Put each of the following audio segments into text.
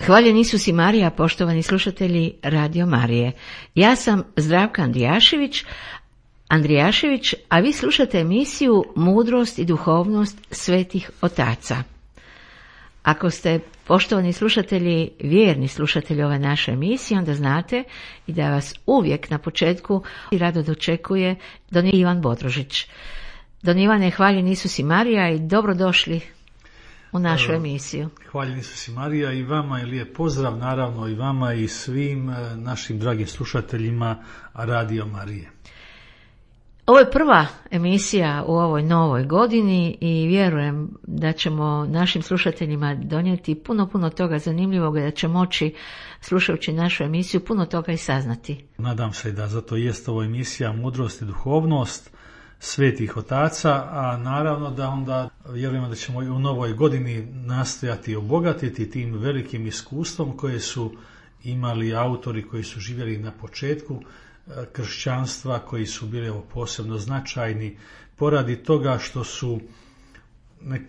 Hvaljen Isus i Marija, poštovani slušatelji Radio Marije. Ja sam Zdravka Andrijašević, a vi slušate emisiju Mudrost i duhovnost svetih otaca. Ako ste, poštovani slušatelji, vjerni slušatelji ove naše emisije, onda znate i da vas uvijek na početku rado dočekuje Don Ivan Bodrožić. Don Ivane, hvaljen Isus i Marija i dobrodošli u našu emisiju. Hvaljen Isus i Marija i vama i lijep pozdrav, naravno i vama i svim našim dragim slušateljima Radio Marije. Ovo je prva emisija u ovoj novoj godini i vjerujem da ćemo našim slušateljima donijeti puno toga zanimljivog i da će moći, slušajući našu emisiju, puno toga i saznati. Nadam se da zato jest ovo emisija Mudrost i duhovnost svetih otaca, a naravno da onda vjerujemo da ćemo i u novoj godini nastojati obogatiti tim velikim iskustvom koje su imali autori koji su živjeli na početku kršćanstva, koji su bili posebno značajni poradi toga što su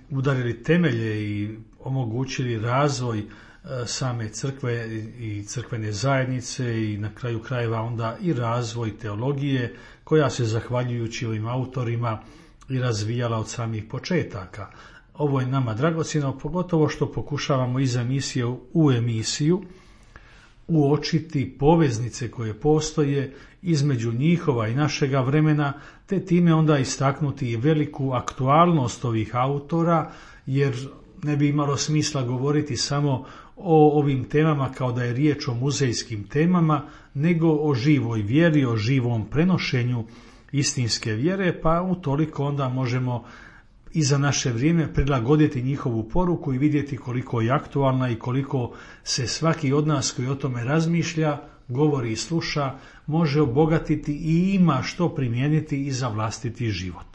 udarili temelje i omogućili razvoj same crkve i crkvene zajednice i na kraju krajeva onda i razvoj teologije koja se zahvaljujući ovim autorima i razvijala od samih početaka. Ovo je nama dragocjeno, pogotovo što pokušavamo iz emisije u emisiju uočiti poveznice koje postoje između njihova i našega vremena, te time onda istaknuti i veliku aktualnost ovih autora, jer ne bi imalo smisla govoriti samo o ovim temama kao da je riječ o muzejskim temama, nego o živoj vjeri, o živom prenošenju istinske vjere, pa utoliko onda možemo i za naše vrijeme prilagoditi njihovu poruku i vidjeti koliko je aktualna i koliko se svaki od nas koji o tome razmišlja, govori i sluša, može obogatiti i ima što primijeniti i za vlastiti život.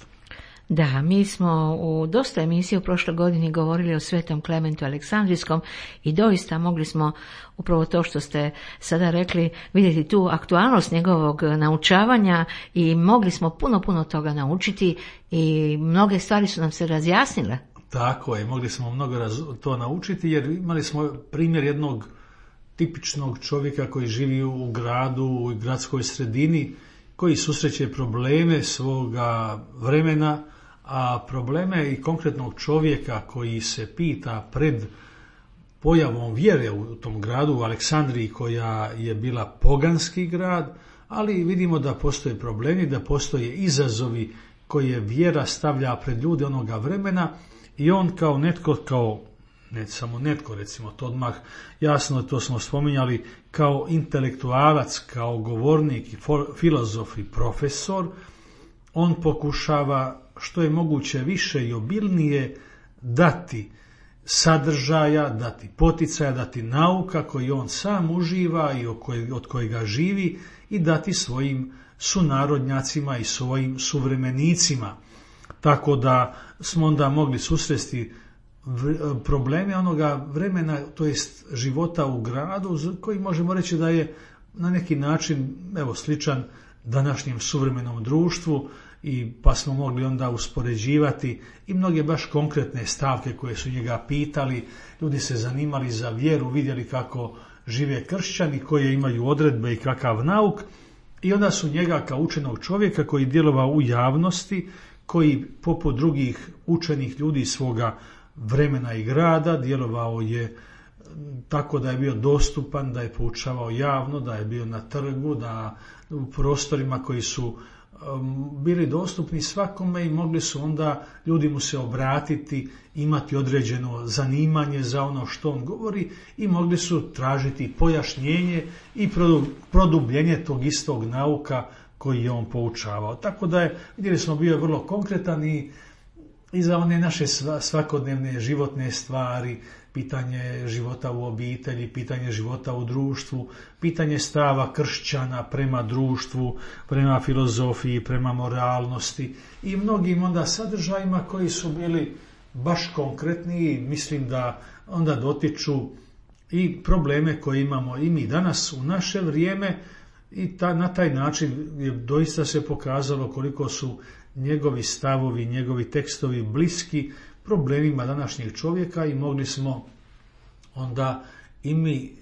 Da, mi smo u dosta emisija u prošloj godini govorili o Svetom Klementu Aleksandrijskom i doista mogli smo upravo to što ste sada rekli vidjeti tu aktualnost njegovog naučavanja i mogli smo puno toga naučiti i mnoge stvari su nam se razjasnile. Tako je, mogli smo mnogo to naučiti jer imali smo primjer jednog tipičnog čovjeka koji živi u gradu, u gradskoj sredini, koji susreće probleme svoga vremena, a probleme i konkretnog čovjeka koji se pita pred pojavom vjere u tom gradu, u Aleksandriji, koja je bila poganski grad, ali vidimo da postoje problemi, da postoje izazovi koje vjera stavlja pred ljude onoga vremena i on kao netko, ne samo netko, recimo to odmah jasno, to smo spominjali, kao intelektualac, kao govornik, filozof i profesor, on pokušava što je moguće više i obilnije dati sadržaja, dati poticaja, dati nauka koji on sam uživa i od kojega živi i dati svojim sunarodnjacima i svojim suvremenicima. Tako da smo onda mogli susresti probleme onoga vremena, to jest života u gradu, koji možemo reći da je na neki način sličan današnjem suvremenom društvu, i pa smo mogli onda uspoređivati i mnoge baš konkretne stavke koje su njega pitali. Ljudi se zanimali za vjeru, vidjeli kako žive kršćani, koje imaju odredbe i kakav nauk, i onda su njega kao učenog čovjeka koji djelovao u javnosti, koji poput drugih učenih ljudi svoga vremena i grada djelovao je tako da je bio dostupan, da je poučavao javno, da je bio na trgu, da u prostorima koji su bili dostupni svakome i mogli su onda ljudi mu se obratiti, imati određeno zanimanje za ono što on govori i mogli su tražiti pojašnjenje i produbljenje tog istog nauka koji je on poučavao. Tako da je, vidjeli smo, bio vrlo konkretan i za one naše svakodnevne životne stvari, pitanje života u obitelji, pitanje života u društvu, pitanje stava kršćana prema društvu, prema filozofiji, prema moralnosti i mnogim onda sadržajima koji su bili baš konkretni. Mislim da onda dotiču i probleme koje imamo i mi danas u naše vrijeme i na taj način je doista se pokazalo koliko su njegovi stavovi, njegovi tekstovi bliski problemima današnjeg čovjeka i mogli smo onda i mi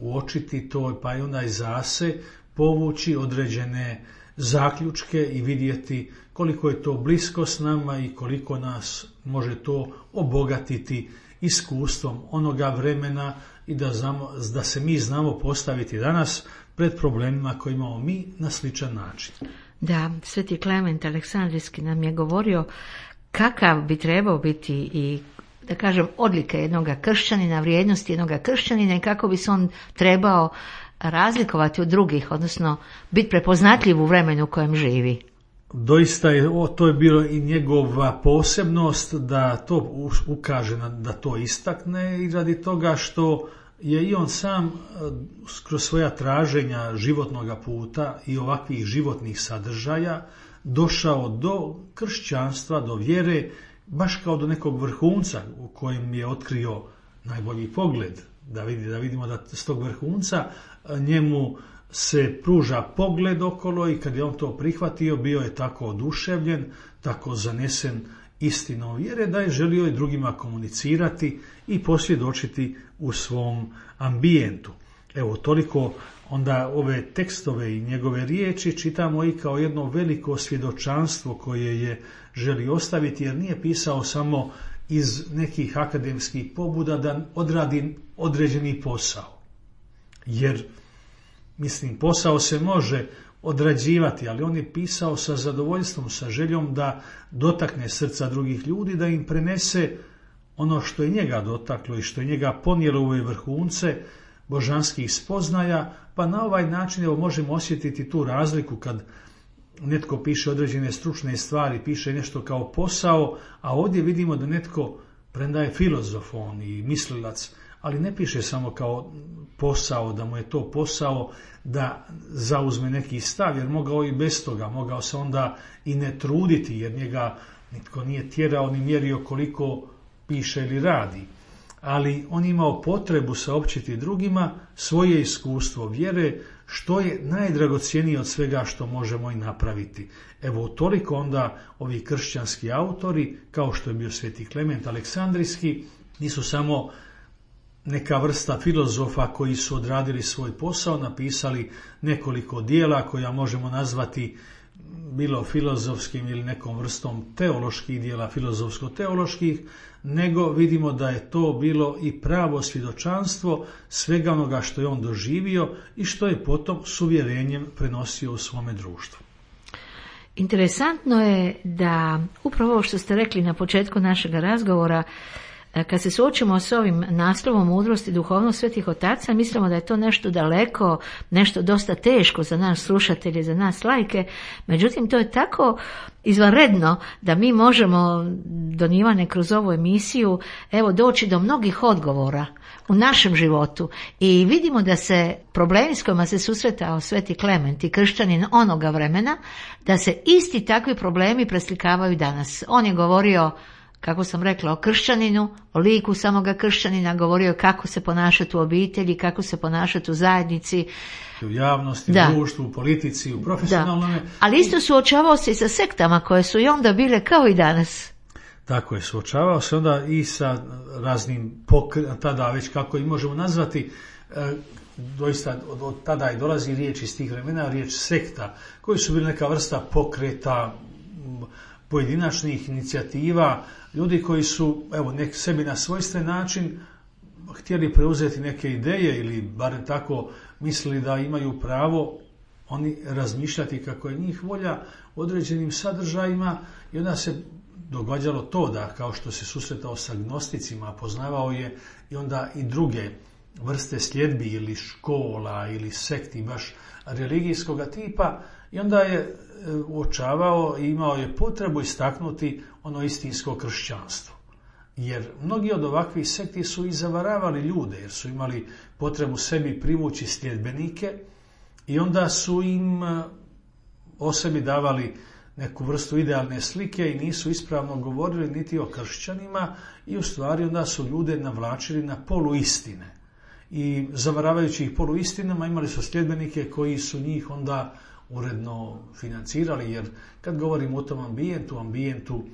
uočiti to, pa i onda i zase povući određene zaključke i vidjeti koliko je to blisko s nama i koliko nas može to obogatiti iskustvom onoga vremena i da se mi znamo postaviti danas pred problemima koje imamo mi na sličan način. Da, Sveti Klement Aleksandrijski nam je govorio kakav bi trebao biti i da kažem odlike jednoga kršćanina, vrijednosti jednoga kršćanina i kako bi se on trebao razlikovati od drugih, odnosno biti prepoznatljiv u vremenu u kojem živi. Doista to je bilo i njegova posebnost da to ukaže, da to istakne i radi toga što je i on sam kroz svoja traženja životnoga puta i ovakvih životnih sadržaja došao do kršćanstva, do vjere, baš kao do nekog vrhunca u kojem je otkrio najbolji pogled. Da vidimo da s tog vrhunca njemu se pruža pogled okolo i kad je on to prihvatio, bio je tako oduševljen, tako zanesen istinom vjere da je želio i drugima komunicirati i posvjedočiti u svom ambijentu. Evo, toliko onda ove tekstove i njegove riječi čitamo i kao jedno veliko svjedočanstvo koje je želi ostaviti, jer nije pisao samo iz nekih akademskih pobuda da odradi određeni posao. Jer, posao se može odrađivati, ali on je pisao sa zadovoljstvom, sa željom da dotakne srca drugih ljudi, da im prenese ono što je njega dotaklo i što je njega ponijelo u ove vrhunce božanskih spoznaja, pa na ovaj način možemo osjetiti tu razliku kad netko piše određene stručne stvari, piše nešto kao posao, a ovdje vidimo da netko, premda je filozof on i mislilac, ali ne piše samo kao posao, da mu je to posao da zauzme neki stav, jer mogao i bez toga, mogao se onda i ne truditi, jer njega nitko nije tjerao ni mjerio koliko piše ili radi. Ali on imao potrebu saopćiti drugima svoje iskustvo vjere, što je najdragocjenije od svega što možemo i napraviti. Evo, toliko onda ovi kršćanski autori, kao što je bio Sveti Klement Aleksandrijski, nisu samo neka vrsta filozofa koji su odradili svoj posao, napisali nekoliko dijela koja možemo nazvati bilo filozofskim ili nekom vrstom teoloških dijela, filozofsko-teoloških, nego vidimo da je to bilo i pravo svjedočanstvo svega onoga što je on doživio i što je potom s uvjerenjem prenosio u svome društvu. Interesantno je da upravo ovo što ste rekli na početku našeg razgovora, kad se suočimo s ovim naslovom mudrost i duhovnost svetih otaca, mislimo da je to nešto daleko, nešto dosta teško za nas slušatelje, za nas laike. Međutim, to je tako izvanredno da mi možemo, Don Ivane, kroz ovu emisiju doći do mnogih odgovora u našem životu i vidimo da se problemi s kojima se susretao Sveti Klement i kršćanin onoga vremena, da se isti takvi problemi preslikavaju danas. On je govorio, kako sam rekla, o kršćaninu, o liku samoga kršćanina, govorio kako se ponašati u obitelji, kako se ponašati u zajednici. U javnosti, u društvu, u politici, u profesionalnom. Ali isto suočavao se i sa sektama koje su i onda bile kao i danas. Tako je, suočavao se onda i sa raznim tada već kako i možemo nazvati, doista od tada i dolazi riječ iz tih vremena, riječ sekta, koji su bili neka vrsta pokreta, pojedinačnih inicijativa, ljudi koji su sebi na svojstven način htjeli preuzeti neke ideje ili barem tako mislili da imaju pravo oni razmišljati kako je njih volja u određenim sadržajima i onda se događalo to da kao što se susretao sa gnosticima, poznavao je i onda i druge vrste sljedbi ili škola ili sekti baš religijskog tipa i onda je uočavao i imao je potrebu istaknuti ono istinsko kršćanstvo. Jer mnogi od ovakvih sekti su i zavaravali ljude, jer su imali potrebu sebi privući sljedbenike i onda su im o sebi davali neku vrstu idealne slike i nisu ispravno govorili niti o kršćanima i u stvari onda su ljude navlačili na poluistine. I zavaravajući ih poluistinama imali su sljedbenike koji su njih onda uredno financirali, jer kad govorimo o tom ambijentu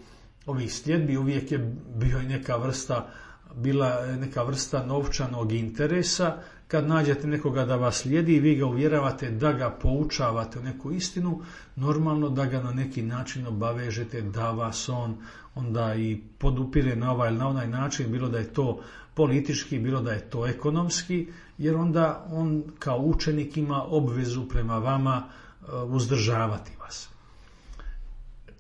ovih sljedbi uvijek je bio i neka vrsta bila neka vrsta novčanog interesa. Kad nađete nekoga da vas slijedi i vi ga uvjeravate da ga poučavate u neku istinu, normalno da ga na neki način obavežete da vas on onda i podupire na ovaj ili na onaj način, bilo da je to politički, bilo da je to ekonomski, jer onda on kao učenik ima obvezu prema vama uzdržavati vas.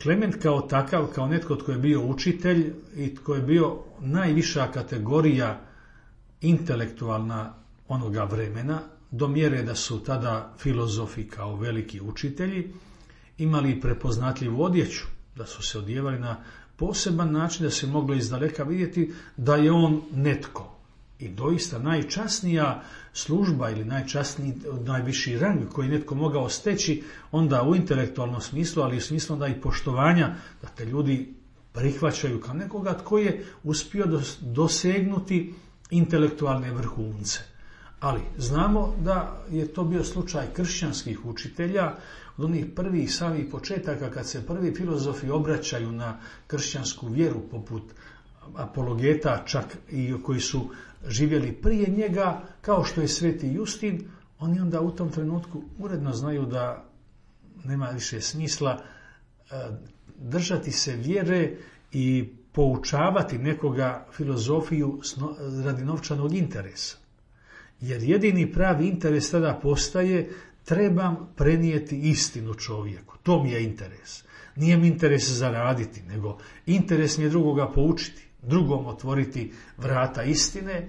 Klement kao takav, kao netko tko je bio učitelj i tko je bio najviša kategorija intelektualna onoga vremena, do mjere da su tada filozofi kao veliki učitelji imali prepoznatljivu odjeću, da su se odjevali na poseban način da se moglo izdaleka vidjeti da je on netko. I doista najčasnija služba ili najviši rang koji netko mogao steći onda u intelektualnom smislu, ali u smislu onda i poštovanja, da te ljudi prihvaćaju kao nekoga tko je uspio dosegnuti intelektualne vrhunce. Ali znamo da je to bio slučaj kršćanskih učitelja, od onih prvih samih početaka kad se prvi filozofi obraćaju na kršćansku vjeru, poput apologeta čak i koji su živjeli prije njega, kao što je Sveti Justin, oni onda u tom trenutku uredno znaju da nema više smisla držati se vjere i poučavati nekoga filozofiju radi novčanog interesa. Jer jedini pravi interes tada postaje: trebam prenijeti istinu čovjeku. To mi je interes. Nije mi interes zaraditi, nego interes mi je drugoga poučiti, drugom otvoriti vrata istine,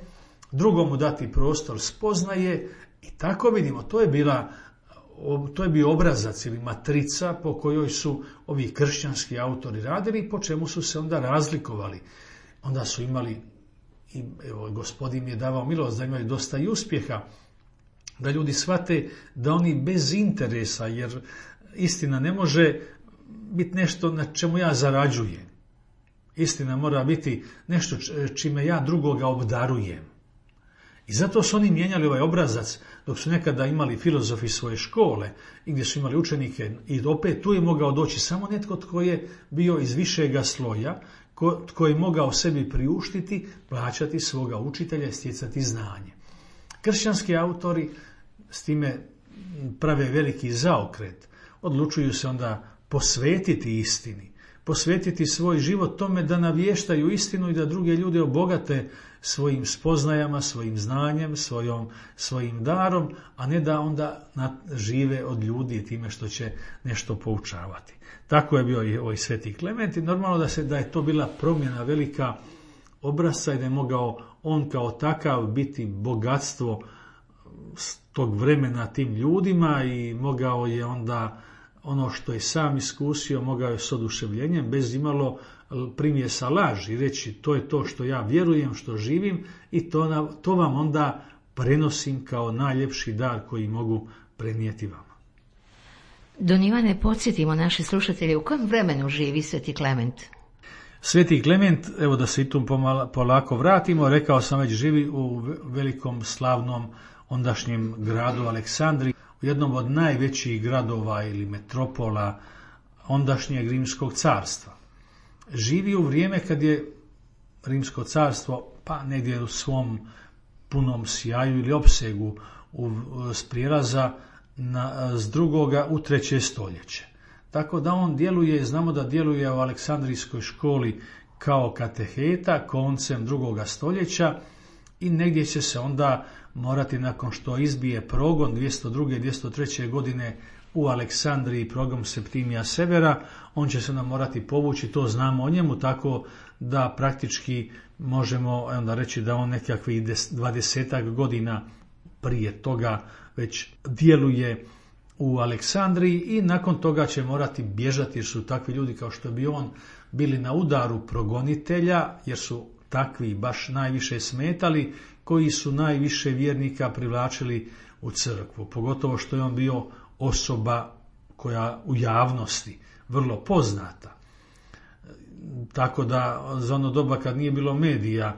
drugomu dati prostor spoznaje. I tako vidimo, to je bio obrazac ili matrica po kojoj su ovi kršćanski autori radili i po čemu su se onda razlikovali. Onda su imali, i evo, Gospodin je davao milost da imaju dosta i uspjeha, da ljudi shvate da oni bez interesa, jer istina ne može biti nešto na čemu ja zarađujem. Istina mora biti nešto čime ja drugoga obdarujem. I zato su oni mijenjali ovaj obrazac, dok su nekada imali filozofi svoje škole i gdje su imali učenike, i opet tu je mogao doći samo netko tko je bio iz višega sloja, tko je mogao sebi priuštiti, plaćati svoga učitelja i stjecati znanje. Kršćanski autori s time prave veliki zaokret. Odlučuju se onda posvetiti istini, posvetiti svoj život tome da navještaju istinu i da druge ljude obogate svojim spoznajama, svojim znanjem, svojim darom, a ne da onda žive od ljudi time što će nešto poučavati. Tako je bio i ovaj Sveti Klement i normalno da je to bila promjena velika obrasca i da je mogao on kao takav biti bogatstvo tog vremena tim ljudima i mogao je onda ono što je sam iskusio, mogao je s oduševljenjem, bez imalo primjesa laži, reći to je to što ja vjerujem, što živim i to vam onda prenosim kao najljepši dar koji mogu prenijeti vama. Don Ivane, podsjetimo naše slušatelje u kojem vremenu živi Sveti Klement? Sveti Klement, evo da se i tu polako vratimo, rekao sam već, živi u velikom slavnom ondašnjem gradu Aleksandriji, u jednom od najvećih gradova ili metropola ondašnjeg Rimskog carstva. Živi u vrijeme kad je Rimsko carstvo pa negdje u svom punom sjaju ili opsegu s prijelaza s drugoga u 3. stoljeće. Tako da on djeluje, znamo da djeluje u Aleksandrijskoj školi kao kateheta koncem 2. stoljeća i negdje će se onda morati, nakon što izbije progon 202. i 203. godine u Aleksandriji, progon Septimija Severa, on će se nam morati povući, to znamo o njemu, tako da praktički možemo onda reći da on nekakvih 20 godina prije toga već djeluje u Aleksandriji i nakon toga će morati bježati jer su takvi ljudi kao što bi on bili na udaru progonitelja, jer su takvi baš najviše smetali, koji su najviše vjernika privlačili u crkvu, pogotovo što je on bio osoba koja u javnosti vrlo poznata. Tako da za ono doba kad nije bilo medija,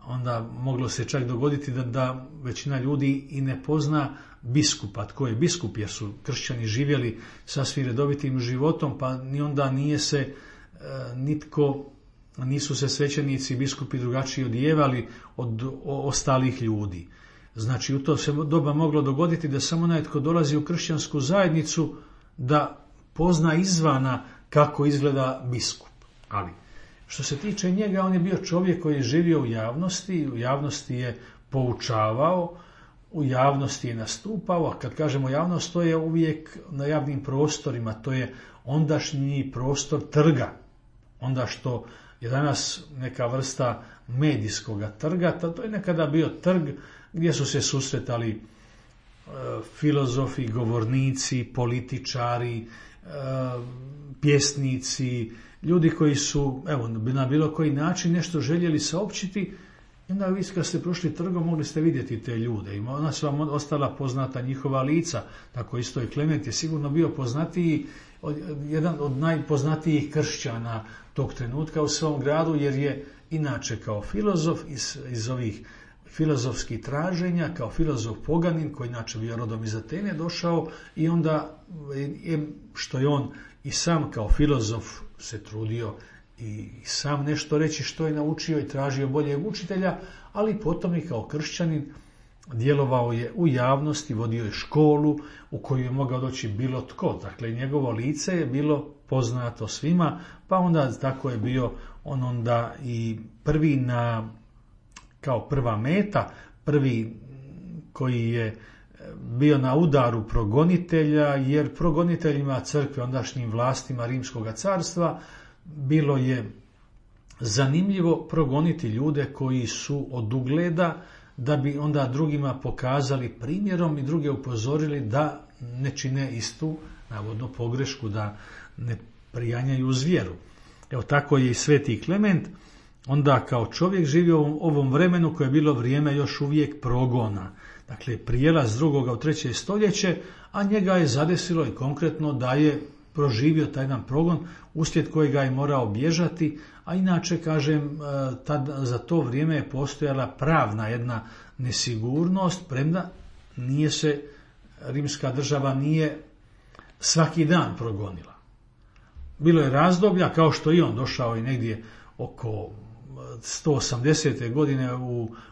onda moglo se čak dogoditi da većina ljudi i ne pozna biskupa. Tko je biskup, jer su kršćani živjeli sasvim redovitim životom, pa ni onda nije se nitko nisu se svećenici i biskupi drugačije odijevali od ostalih ljudi. Znači, u to se doba moglo dogoditi da samo onaj tko dolazi u kršćansku zajednicu da pozna izvana kako izgleda biskup. Ali, što se tiče njega, on je bio čovjek koji je živio u javnosti je poučavao, u javnosti je nastupao, a kad kažemo javnost, to je uvijek na javnim prostorima, to je ondašnji prostor trga. Onda što je danas neka vrsta medijskoga trga, to je nekada bio trg gdje su se susretali filozofi, govornici, političari, pjesnici, ljudi koji su na bilo koji način nešto željeli saopćiti. I onda vi kad ste prošli trgom mogli ste vidjeti te ljude i ona su vam ostala poznata njihova lica. Tako isto i Klement je sigurno bio poznatiji, jedan od najpoznatijih kršćana tog trenutka u svom gradu, jer je inače kao filozof iz ovih filozofskih traženja, kao filozof poganin koji inače bio rodom iz Atene došao i onda što je on i sam kao filozof se trudio i sam nešto reći što je naučio i tražio boljeg učitelja, ali potom i kao kršćanin djelovao je u javnosti, vodio je školu u koju je mogao doći bilo tko. Dakle, njegovo lice je bilo poznato svima, pa onda tako je bio on onda i prvi kao prva meta, prvi koji je bio na udaru progonitelja, jer progoniteljima crkve, ondašnjim vlastima Rimskog carstva, bilo je zanimljivo progoniti ljude koji su od ugleda, da bi onda drugima pokazali primjerom i druge upozorili da ne čine istu, navodno, pogrešku, da ne prijanjaju uz vjeru. Evo tako je i Sveti Klement onda kao čovjek živio u ovom vremenu koje je bilo vrijeme još uvijek progona. Dakle, prijelaz drugoga u 3. stoljeće, a njega je zadesilo i konkretno da je proživio taj jedan progon uslijed kojega je morao bježati, a inače, kažem, za to vrijeme je postojala pravna jedna nesigurnost, premda nije se rimska država nije svaki dan progonila. Bilo je razdoblja, kao što i on došao i negdje oko 180. godine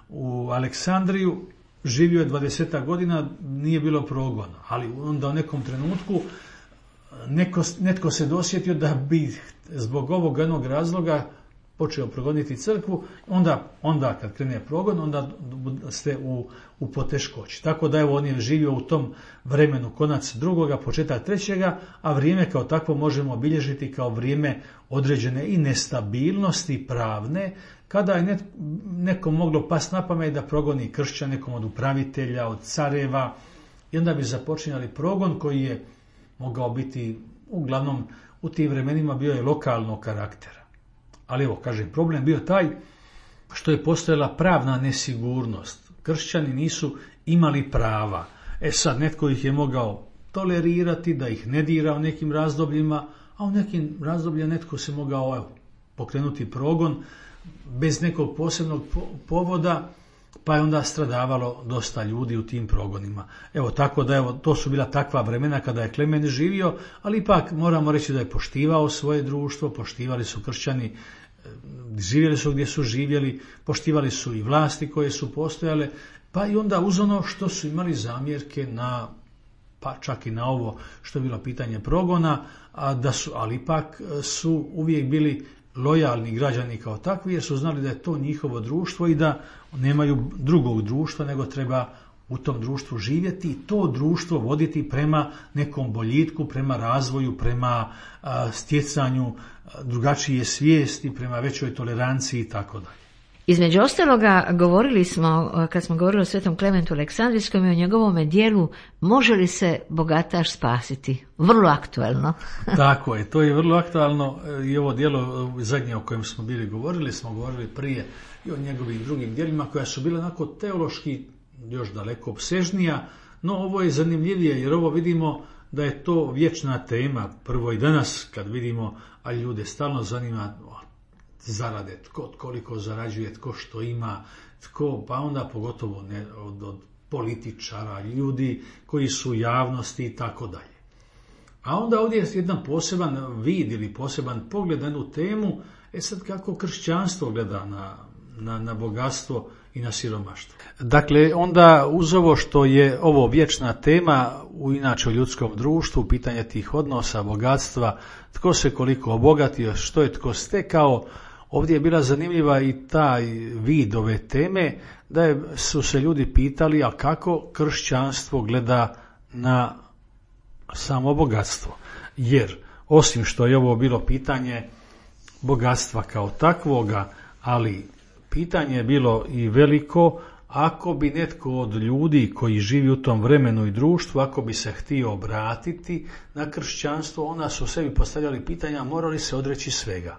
u Aleksandriju, živio je 20 godina, nije bilo progona, ali onda u nekom trenutku netko se dosjetio da bi zbog ovog jednog razloga počeo progoniti crkvu, onda kad krene progon, onda ste u poteškoći. Tako da evo on je živio u tom vremenu konac drugoga, početak trećega, a vrijeme kao takvo možemo obilježiti kao vrijeme određene i nestabilnosti pravne, kada je nekom moglo past na pamet da progoni kršćan, nekom od upravitelja, od careva, i onda bi započinjali progon koji je mogao biti, uglavnom u tim vremenima bio je lokalnog karaktera. Ali evo, kažem, problem bio taj što je postojala pravna nesigurnost. Kršćani nisu imali prava. Sad, netko ih je mogao tolerirati, da ih ne dira u nekim razdobljima, a u nekim razdobljima netko se mogao pokrenuti progon bez nekog posebnog povoda, pa je onda stradavalo dosta ljudi u tim progonima. Evo, tako da to su bila takva vremena kada je Klement živio, ali ipak moramo reći da je poštivao svoje društvo, poštivali su kršćani, živjeli su gdje su živjeli, poštivali su i vlasti koje su postojale, pa i onda uz ono što su imali zamjerke pa čak i na ovo što je bilo pitanje progona, ali ipak su uvijek bili lojalni građani kao takvi, jer su znali da je to njihovo društvo i da nemaju drugog društva, nego treba u tom društvu živjeti i to društvo voditi prema nekom boljitku, prema razvoju, prema stjecanju drugačije svijesti, prema većoj toleranciji i tako dalje. Između ostaloga govorili smo, kad smo govorili o Svetom Klementu Aleksandrijskom i o njegovome dijelu Može li se bogataš spasiti? Vrlo aktuelno. Tako je, to je vrlo aktualno i ovo dijelo zadnje o kojem smo govorili prije i o njegovim drugim dijelima koja su bile onako teološki još daleko opsežnija, no ovo je zanimljivije jer ovo vidimo da je to vječna tema. Prvo i danas kad vidimo, a ljude stalno zanima zarade, tko koliko zarađuje, tko što ima, pa onda pogotovo od političara, ljudi koji su u javnosti i tako dalje. A onda ovdje je jedan poseban vid ili poseban pogled na jednu temu, sad kako kršćanstvo gleda na bogatstvo i na siromaštvo. Dakle, onda uz ovo što je ovo vječna tema inače u ljudskom društvu, pitanje tih odnosa, bogatstva, tko se koliko obogatio, što je tko stekao, ovdje je bila zanimljiva i taj vid ove teme, da su se ljudi pitali, a kako kršćanstvo gleda na samo bogatstvo. Jer, osim što je ovo bilo pitanje bogatstva kao takvoga, ali pitanje je bilo i veliko, ako bi netko od ljudi koji živi u tom vremenu i društvu, ako bi se htio obratiti na kršćanstvo, onda su sebi postavljali pitanja, mora li se odreći svega.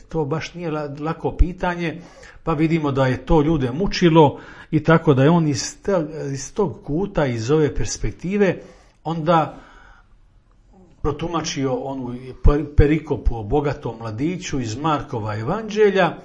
To baš nije lako pitanje, pa vidimo da je to ljude mučilo i tako da je on iz tog kuta, iz ove perspektive, onda protumačio onu perikopu o bogatom mladiću iz Markova evanđelja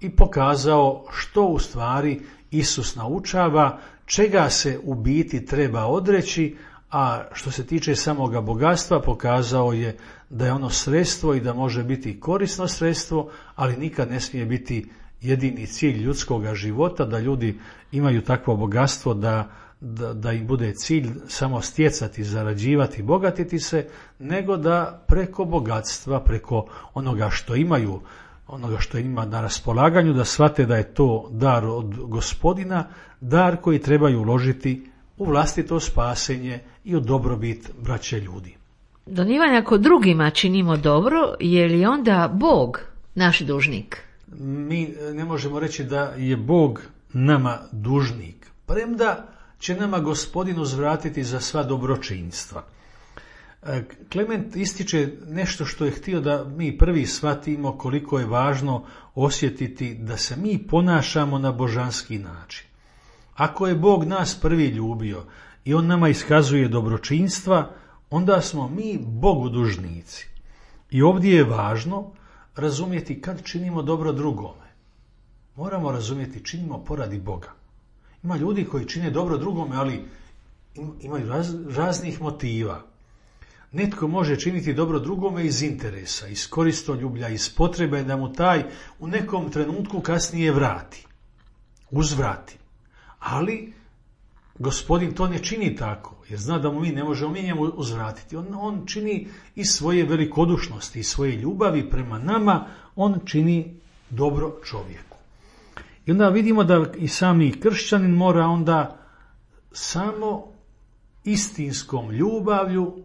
i pokazao što u stvari Isus naučava, čega se u biti treba odreći, a što se tiče samoga bogatstva pokazao je da je ono sredstvo i da može biti korisno sredstvo, ali nikad ne smije biti jedini cilj ljudskog života, da ljudi imaju takvo bogatstvo da im bude cilj samo stjecati, zarađivati, bogatiti se, nego da preko bogatstva, preko onoga što imaju, onoga što ima na raspolaganju, da shvate da je to dar od Gospodina, dar koji trebaju uložiti u vlastito spasenje i u dobrobit braće ljudi. Don Ivan, ako drugima činimo dobro, je li onda Bog naš dužnik? Mi ne možemo reći da je Bog nama dužnik, premda će nama Gospodin uzvratiti za sva dobročinstva. Klement ističe nešto što je htio da mi prvi shvatimo koliko je važno osjetiti da se mi ponašamo na božanski način. Ako je Bog nas prvi ljubio i On nama iskazuje dobročinstva, onda smo mi Bogu dužnici. I ovdje je važno razumjeti kad činimo dobro drugome. Moramo razumjeti činimo poradi Boga. Ima ljudi koji čine dobro drugome, ali imaju raznih motiva. Netko može činiti dobro drugome iz interesa, iz koristoljublja, iz potrebe da mu taj u nekom trenutku kasnije uzvrati. Ali Gospodin to ne čini tako, jer zna da mu mi ne možemo njemu uzvratiti. On čini iz svoje velikodušnosti, iz svoje ljubavi prema nama, on čini dobro čovjeku. I onda vidimo da i sami kršćanin mora onda samo istinskom ljubavlju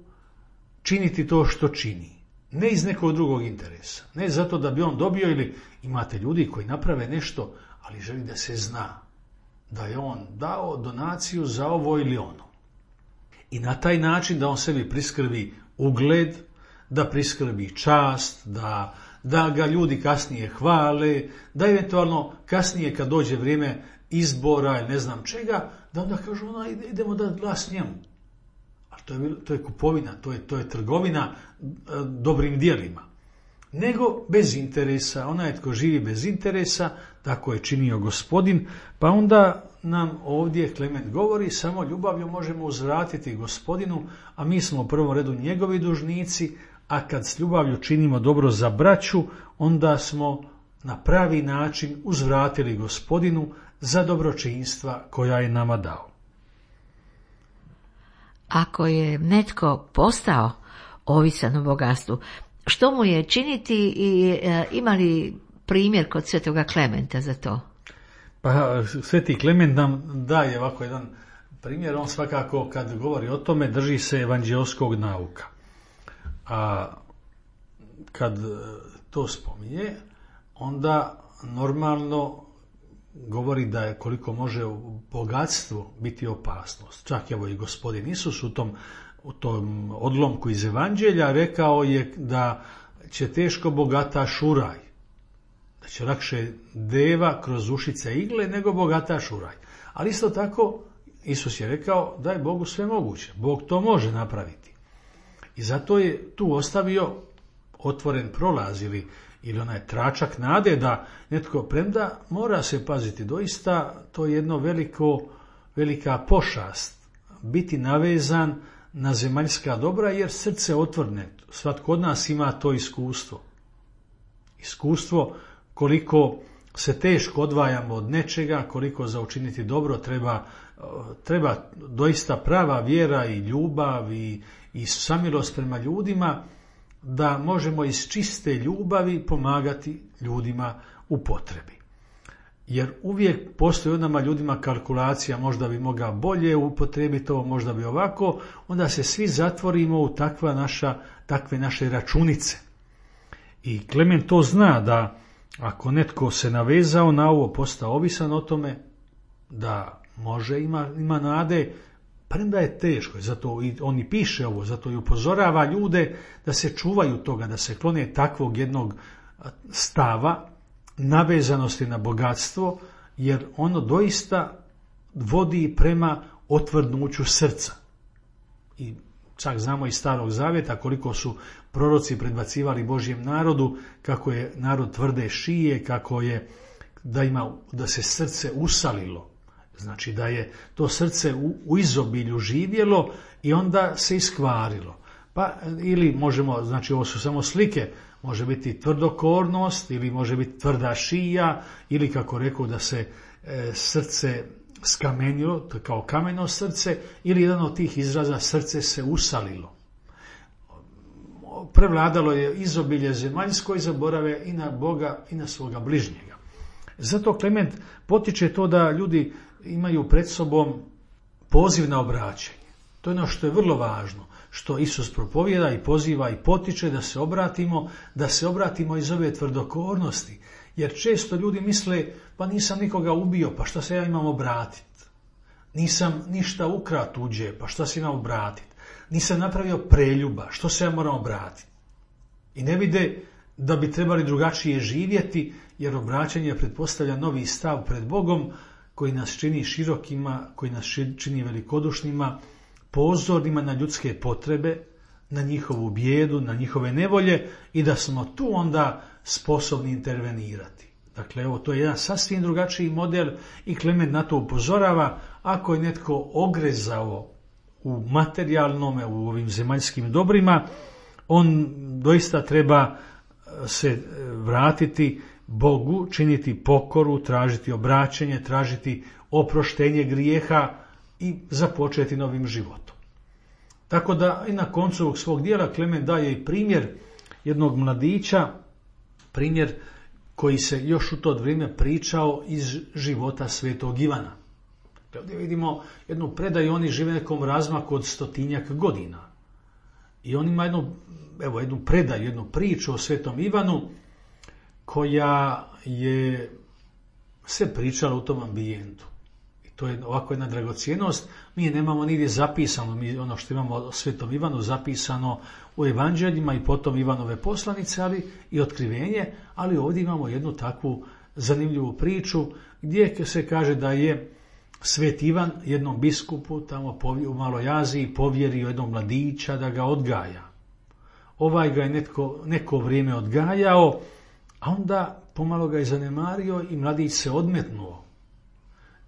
činiti to što čini. Ne iz nekog drugog interesa. Ne zato da bi on dobio, ili imate ljudi koji naprave nešto, ali želi da se zna da je on dao donaciju za ovo ili ono. I na taj način da on sebi priskrbi ugled, da priskrbi čast, da ga ljudi kasnije hvale, da eventualno kasnije kad dođe vrijeme izbora ili ne znam čega, da onda kažu idemo da glas njemu. A to je kupovina, to je trgovina dobrim djelima. Nego bez interesa, onaj tko živi bez interesa, tako je činio Gospodin, pa onda nam ovdje Klement govori, samo ljubavlju možemo uzvratiti Gospodinu, a mi smo u prvom redu njegovi dužnici, a kad s ljubavlju činimo dobro za braću, onda smo na pravi način uzvratili Gospodinu za dobročinstva koja je nama dao. Ako je netko postao ovisan o bogatstvu, što mu je činiti i ima li primjer kod svetoga Klementa za to? Pa sveti Klement nam daje ovako jedan primjer. On svakako kad govori o tome drži se evanđeoskog nauka. A kad to spominje, onda normalno govori da je koliko može u bogatstvu biti opasnost. Čak evo i Gospodin Isus u tom odlomku iz evanđelja rekao je da će teško bogataš u raj. Da će lakše deva kroz ušice igle nego bogataš u raj. Ali isto tako Isus je rekao da je Bogu sve moguće. Bog to može napraviti. I zato je tu ostavio otvoren prolaz ili onaj tračak nade da netko, premda mora se paziti, doista to je jedno velika pošast biti navezan na zemaljska dobra, jer srce otvorene. Svatko od nas ima to iskustvo. Iskustvo koliko se teško odvajamo od nečega, koliko za učiniti dobro treba doista prava vjera i ljubav i samilost prema ljudima, da možemo iz čiste ljubavi pomagati ljudima u potrebi. Jer uvijek postoji od nama ljudima kalkulacija, možda bi mogao bolje upotrijebiti ovo, možda bi ovako, onda se svi zatvorimo u takve naše računice. I Klement to zna, da ako netko se navezao na ovo, postao ovisan o tome, da može, ima nade, premda je teško. Zato on i piše ovo, zato i upozorava ljude da se čuvaju toga, da se klone takvog jednog stava, navezanosti na bogatstvo, jer ono doista vodi prema otvrdnuću srca. I čak znamo iz Starog Zavjeta koliko su proroci predbacivali Božjem narodu, kako je narod tvrde šije, kako je da se srce usalilo. Znači da je to srce u izobilju živjelo i onda se iskvarilo. Pa ili možemo, znači ovo su samo slike, može biti tvrdokornost ili može biti tvrda šija ili kako rekao da se srce skamenilo, kao kameno srce, ili jedan od tih izraza srce se usalilo. Prevladalo je izobilje zemaljsko i zaborave i na Boga i na svoga bližnjega. Zato Klement potiče to da ljudi imaju pred sobom poziv na obraćanje. To je ono što je vrlo važno, što Isus propovjeda i poziva i potiče da se obratimo iz ove tvrdokornosti. Jer često ljudi misle, pa nisam nikoga ubio, pa šta se ja imam obratiti? Nisam ništa ukrao tuđe, pa šta se imam obratiti? Nisam napravio preljuba, što se ja moram obratiti? I ne vide da bi trebali drugačije živjeti, jer obraćanje pretpostavlja novi stav pred Bogom, koji nas čini širokima, koji nas čini velikodušnima, pozornima na ljudske potrebe, na njihovu bijedu, na njihove nevolje i da smo tu onda sposobni intervenirati. Dakle, evo, to je jedan sasvim drugačiji model i Klement na to upozorava. Ako je netko ogrezao u materijalnome, u ovim zemaljskim dobrima, on doista treba se vratiti Bogu, činiti pokoru, tražiti obraćenje, tražiti oproštenje grijeha i započeti novim životom. Tako da i na koncu ovog svog dijela Klement daje i primjer jednog mladića, primjer koji se još u to vrijeme pričao iz života svetog Ivana. Ovdje vidimo jednu predaju, oni žive nekom razmaku od 100-tinjak godina. I on ima jednu predaju, jednu priču o svetom Ivanu, koja je se pričala u tom ambijentu. I to je ovako jedna dragocjenost. Mi je nemamo nigdje zapisano, mi ono što imamo o svetom Ivanu zapisano u evanđeljima i potom Ivanove poslanice, ali i otkrivenje, ali ovdje imamo jednu takvu zanimljivu priču gdje se kaže da je svet Ivan jednom biskupu tamo u Maloj Aziji povjerio jednog mladića da ga odgaja. Ovaj ga je neko vrijeme odgajao, a onda pomalo ga je zanemario i mladić se odmetnuo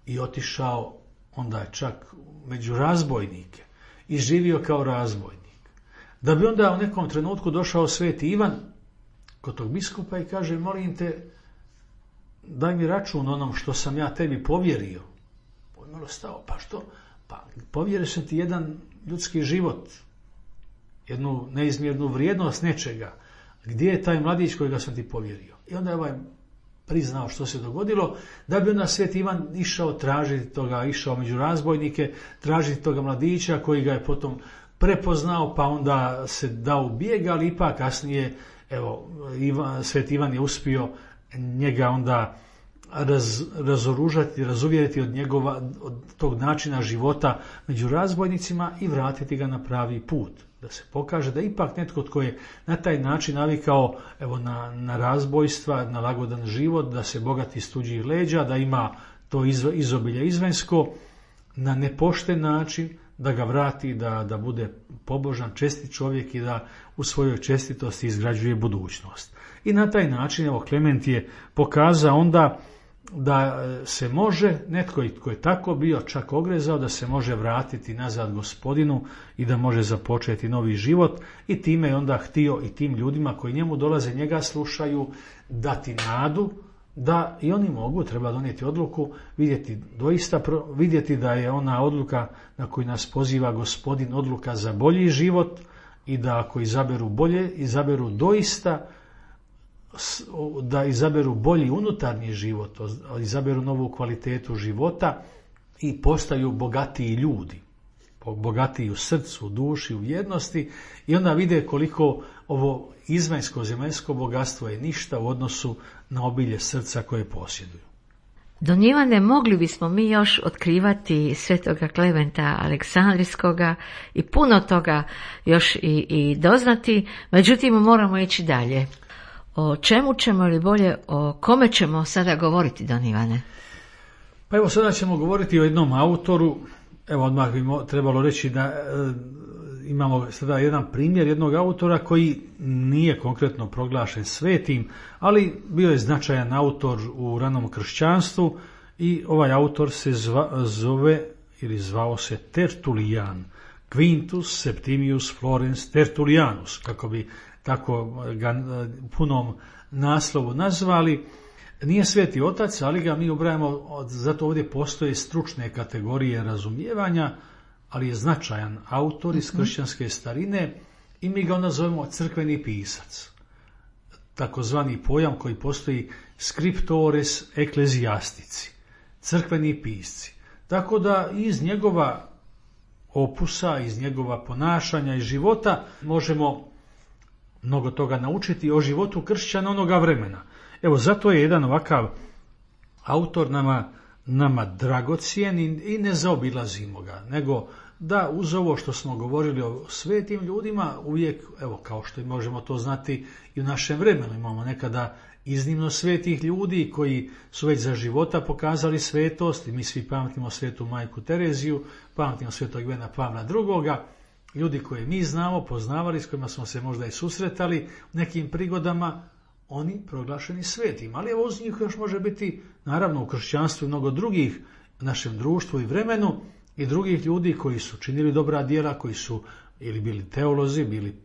i otišao onda čak među razbojnike i živio kao razbojnik. Da bi onda u nekom trenutku došao sveti Ivan kod tog biskupa i kaže, molim te, daj mi račun onom što sam ja tebi povjerio. On malo stao, pa što? Pa povjerio sam ti jedan ljudski život, jednu neizmjernu vrijednost nečega. Gdje je taj mladić kojega sam ti povjerio? I onda je ovaj priznao što se dogodilo, da bi onda sveti Ivan išao tražiti toga, išao među razbojnike, tražiti toga mladića koji ga je potom prepoznao, pa onda se dao u bijeg, ali ipak kasnije, evo, sveti Ivan je uspio njega onda razoružati, razuvjeriti od tog načina života među razbojnicima i vratiti ga na pravi put. Da se pokaže da ipak netko tko je na taj način navikao na razbojstva, na lagodan život, da se bogati iz tuđih leđa, da ima to izobilje izvanjsko, na nepošten način da ga vrati, da bude pobožan, čestit čovjek i da u svojoj čestitosti izgrađuje budućnost. I na taj način, Klement je pokazao onda da se može, netko tko je tako bio čak ogrezao, da se može vratiti nazad Gospodinu i da može započeti novi život, i time je onda htio i tim ljudima koji njemu dolaze, njega slušaju, dati nadu da i oni mogu, treba donijeti odluku, vidjeti da je ona odluka na koju nas poziva Gospodin odluka za bolji život, i da ako izaberu bolje, izaberu doista, da izaberu bolji unutarnji život, izaberu novu kvalitetu života i postaju bogatiji ljudi, bogatiji u srcu, u duši, u vjernosti, i onda vide koliko ovo izvanjsko zemaljsko bogatstvo je ništa u odnosu na obilje srca koje posjeduju. Don Ivane, mogli bismo mi još otkrivati svetoga Klementa Aleksandrijskoga i puno toga još i doznati, međutim moramo ići dalje. O čemu ćemo, ili bolje o kome ćemo sada govoriti, Don Ivane? Pa evo, sada ćemo govoriti o jednom autoru. Evo, odmah bi trebalo reći da imamo sada jedan primjer jednog autora koji nije konkretno proglašen svetim, ali bio je značajan autor u ranom kršćanstvu, i ovaj autor se zvao se Tertulijan, Quintus Septimius Florens Tertulianus, kako bi tako ga punom naslovu nazvali. Nije sveti otac, ali ga mi ubrajamo, zato ovdje postoje stručne kategorije razumijevanja, ali je značajan autor iz kršćanske starine i mi ga onda zovemo crkveni pisac. Takozvani pojam koji postoji scriptores ecclesiastici, crkveni pisci. Tako da iz njegova opusa, iz njegova ponašanja i života možemo mnogo toga naučiti o životu kršćana onoga vremena. Evo, zato je jedan ovakav autor nama dragocjen i ne zaobilazimo ga, nego da uz ovo što smo govorili o svetim ljudima, uvijek, evo, kao što možemo to znati i u našem vremenu, imamo nekada iznimno svetih ljudi koji su već za života pokazali svetost, i mi svi pamtimo svetu majku Tereziju, pamtimo svetog Ivana Pavla II, ljudi koje mi znamo, poznavali, s kojima smo se možda i susretali u nekim prigodama, oni proglašeni svetim. Ali evo, uz njih još može biti, naravno, u kršćanstvu mnogo drugih, našem društvu i vremenu, i drugih ljudi koji su činili dobra djela, koji su ili bili teolozi, bili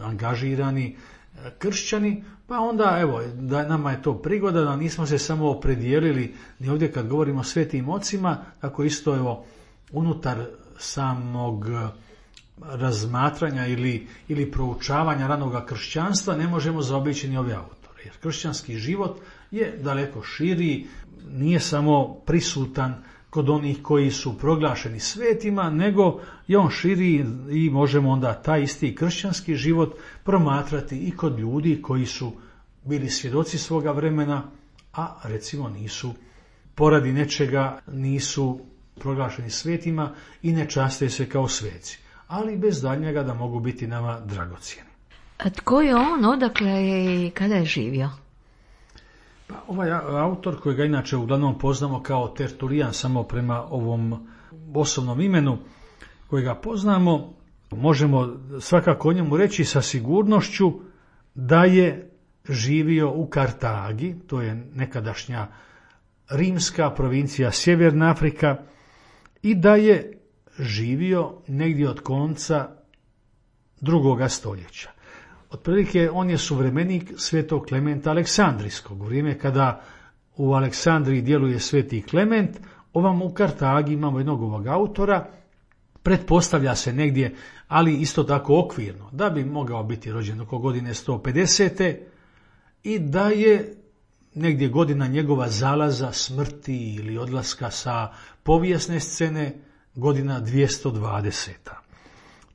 angažirani kršćani, pa onda evo, da nama je to prigoda da nismo se samo opredijelili ni ovdje kad govorimo o svetim ocima, tako isto evo unutar samog razmatranja ili proučavanja ranoga kršćanstva ne možemo zaobići ni ove autore, jer kršćanski život je daleko širi, nije samo prisutan kod onih koji su proglašeni svetima, nego je on širi i možemo onda taj isti kršćanski život promatrati i kod ljudi koji su bili svjedoci svoga vremena, a recimo nisu poradi nečega, nisu proglašeni svetima i ne časte se kao sveci, ali bez daljnjega da mogu biti nama dragocjeni. A tko je on, odakle je i kada je živio? Pa ovaj autor, kojega inače uglavnom poznamo kao Tertulijan, samo prema ovom osobnom imenu kojega poznamo, možemo svakako o njemu reći sa sigurnošću da je živio u Kartagi, to je nekadašnja rimska provincija Sjeverna Afrika, i da je živio negdje od konca 2. stoljeća. Otprilike on je suvremenik svetog Klementa Aleksandrijskog. U vrijeme kada u Aleksandriji djeluje sveti Klement, ovam u Kartagi imamo jednog ovog autora, pretpostavlja se negdje, ali isto tako okvirno, da bi mogao biti rođen oko godine 150. i da je negdje godina njegova zalaza, smrti ili odlaska sa povijesne scene godina 220.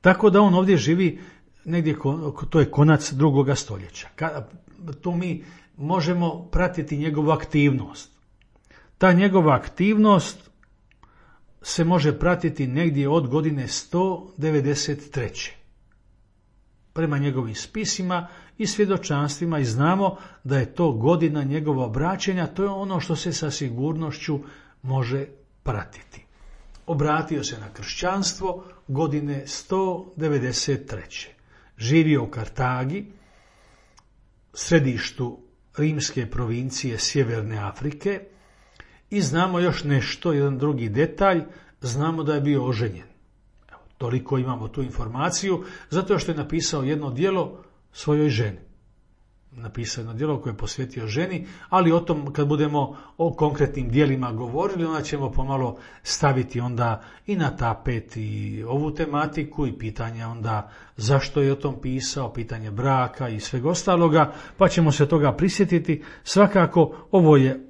Tako da on ovdje živi negdje, to je konac 2. stoljeća. Tu mi možemo pratiti njegovu aktivnost. Ta njegova aktivnost se može pratiti negdje od godine 193. Prema njegovim spisima i svjedočanstvima, i znamo da je to godina njegova obraćenja, to je ono što se sa sigurnošću može pratiti. Obratio se na kršćanstvo godine 193. Živio u Kartagi, središtu rimske provincije Sjeverne Afrike, I znamo još nešto, jedan drugi detalj, znamo da je bio oženjen. Evo, toliko imamo tu informaciju, zato što je napisao jedno djelo svojoj ženi. Napisao jedno djelo koje je posvetio ženi, ali o tom kad budemo o konkretnim djelima govorili, onda ćemo pomalo staviti onda i na tapet i ovu tematiku i pitanje onda zašto je o tom pisao, pitanje braka i svega ostaloga, pa ćemo se toga prisjetiti. Svakako ovo je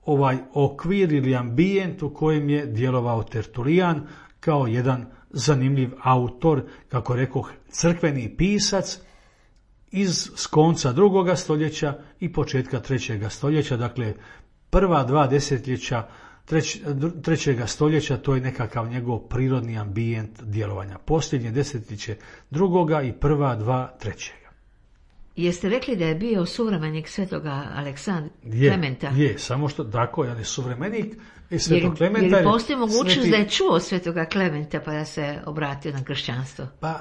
ovaj okvir ili ambijent u kojem je djelovao Tertulijan kao jedan zanimljiv autor, kako rekoh, crkveni pisac s konca 2. stoljeća i početka 3. stoljeća, dakle prva 2 desetljeća 3. stoljeća, to je nekakav njegov prirodni ambijent djelovanja. Posljednje desetljeće 2. i prva 2 3. Jeste rekli da je bio suvremenik svetoga Aleksandra Klementa? Je, samo što tako, on je suvremenik svetog Klementa. Jer postoji mogućnost da je čuo svetoga Klementa pa da se obratio na kršćanstvo? Pa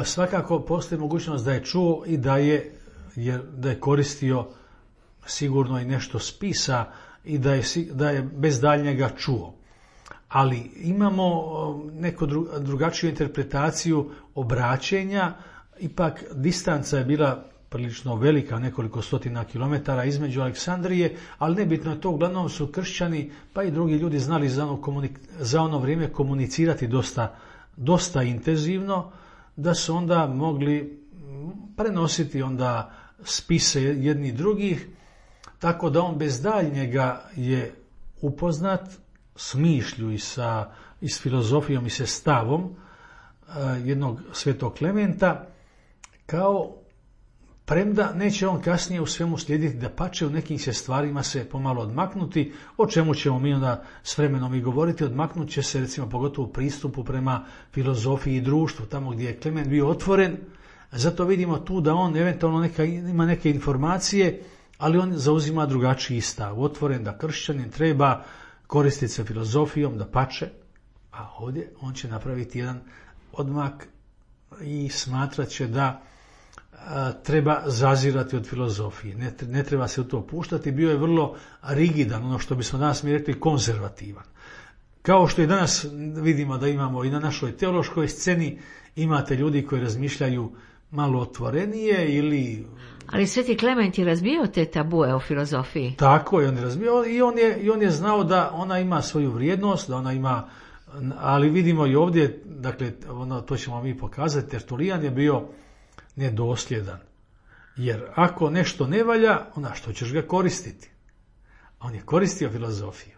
svakako postoji mogućnost da je čuo i da je koristio sigurno i nešto spisa i da je bez daljnjega čuo. Ali imamo neku drugačiju interpretaciju obraćenja. Ipak distanca je bila prilično velika, nekoliko stotina kilometara između Aleksandrije, ali nebitno je to, uglavnom su kršćani pa i drugi ljudi znali za ono vrijeme komunicirati dosta intenzivno, da su onda mogli prenositi onda spise jedni drugih, tako da on bez daljnjega je upoznat s mišlju i s filozofijom i sa stavom jednog svetog Klementa, kao premda neće on kasnije u svemu slijediti, dapače u nekim će stvarima se pomalo odmaknuti, o čemu ćemo mi onda s vremenom i govoriti. Odmaknut će se recimo pogotovo u pristupu prema filozofiji i društvu, tamo gdje je Klement bio otvoren. Zato vidimo tu da on eventualno ima neke informacije, ali on zauzima drugačiji stav, otvoren da kršćanin treba koristiti se filozofijom, dapače, a ovdje on će napraviti jedan odmak i smatrat će da treba zazirati od filozofije. Ne treba se u to puštati. Bio je vrlo rigidan, ono što bismo danas mi rekli konzervativan. Kao što i danas vidimo da imamo i na našoj teološkoj sceni, imate ljudi koji razmišljaju malo otvorenije ili... Ali sveti Klement je razbio te tabue o filozofiji. Tako je, on je razbio i on je znao da ona ima svoju vrijednost, da ona ima... Ali vidimo i ovdje, dakle, to ćemo mi pokazati, Tertulijan je bio nedosljedan. Jer ako nešto ne valja, onda što ćeš ga koristiti? On je koristio filozofiju.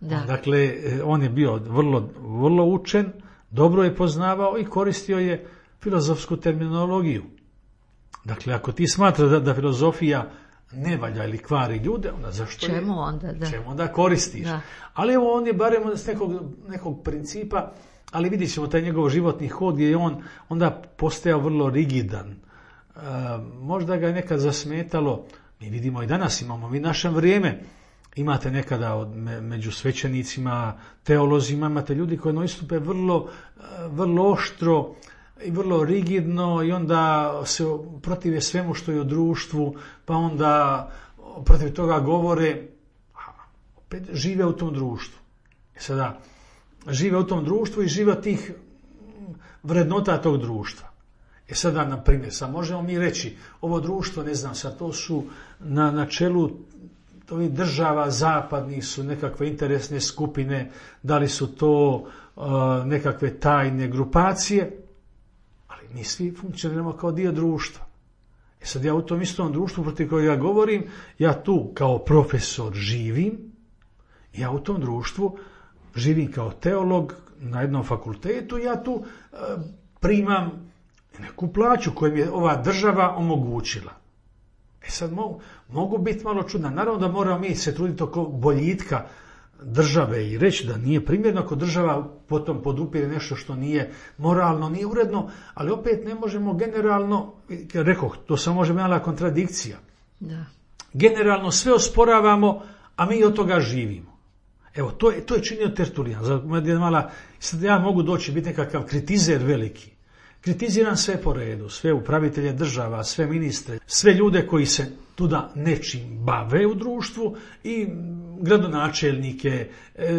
Dakle, on je bio vrlo učen, dobro je poznavao i koristio je filozofsku terminologiju. Dakle, ako ti smatraš da filozofija ne valja ili kvari ljude, onda zašto čemu onda koristiš? Da. Ali evo, on je barem s nekog principa, ali vidjet ćemo taj njegov životni hod gdje je on onda postajao vrlo rigidan. Možda ga je nekad zasmetalo, mi vidimo i danas imamo, mi našem vrijeme, imate nekada među svećenicima, teolozima, imate ljudi koji istupe vrlo oštro i vrlo rigidno i onda se protive svemu što je u društvu, pa onda protiv toga govore, opet žive u tom društvu. Sada, žive u tom društvu i žive od tih vrednota tog društva. Sada, na primjer, sad možemo mi reći, ovo društvo, ne znam, sad to su na čelu ovih država zapadnih su nekakve interesne skupine, da li su to nekakve tajne grupacije, ali mi svi funkcioniramo kao dio društva. Sad ja u tom istom društvu protiv kojeg ja govorim, ja tu kao profesor živim, ja u tom društvu živim kao teolog na jednom fakultetu, ja tu primam neku plaću koju mi je ova država omogućila. Sad mogu biti malo čudna. Naravno da moramo mi se truditi oko boljitka države i reći da nije primjerno ako država potom podupire nešto što nije moralno, nije uredno, ali opet ne možemo generalno, rekoh, to samo može mala kontradikcija. Da. Generalno sve osporavamo, a mi od toga živimo. Evo, to je činio Tertulijan. Sad ja mogu doći biti nekakav kritizer veliki. Kritiziram sve po redu, sve upravitelje država, sve ministre, sve ljude koji se tuda nečim bave u društvu i gradonačelnike,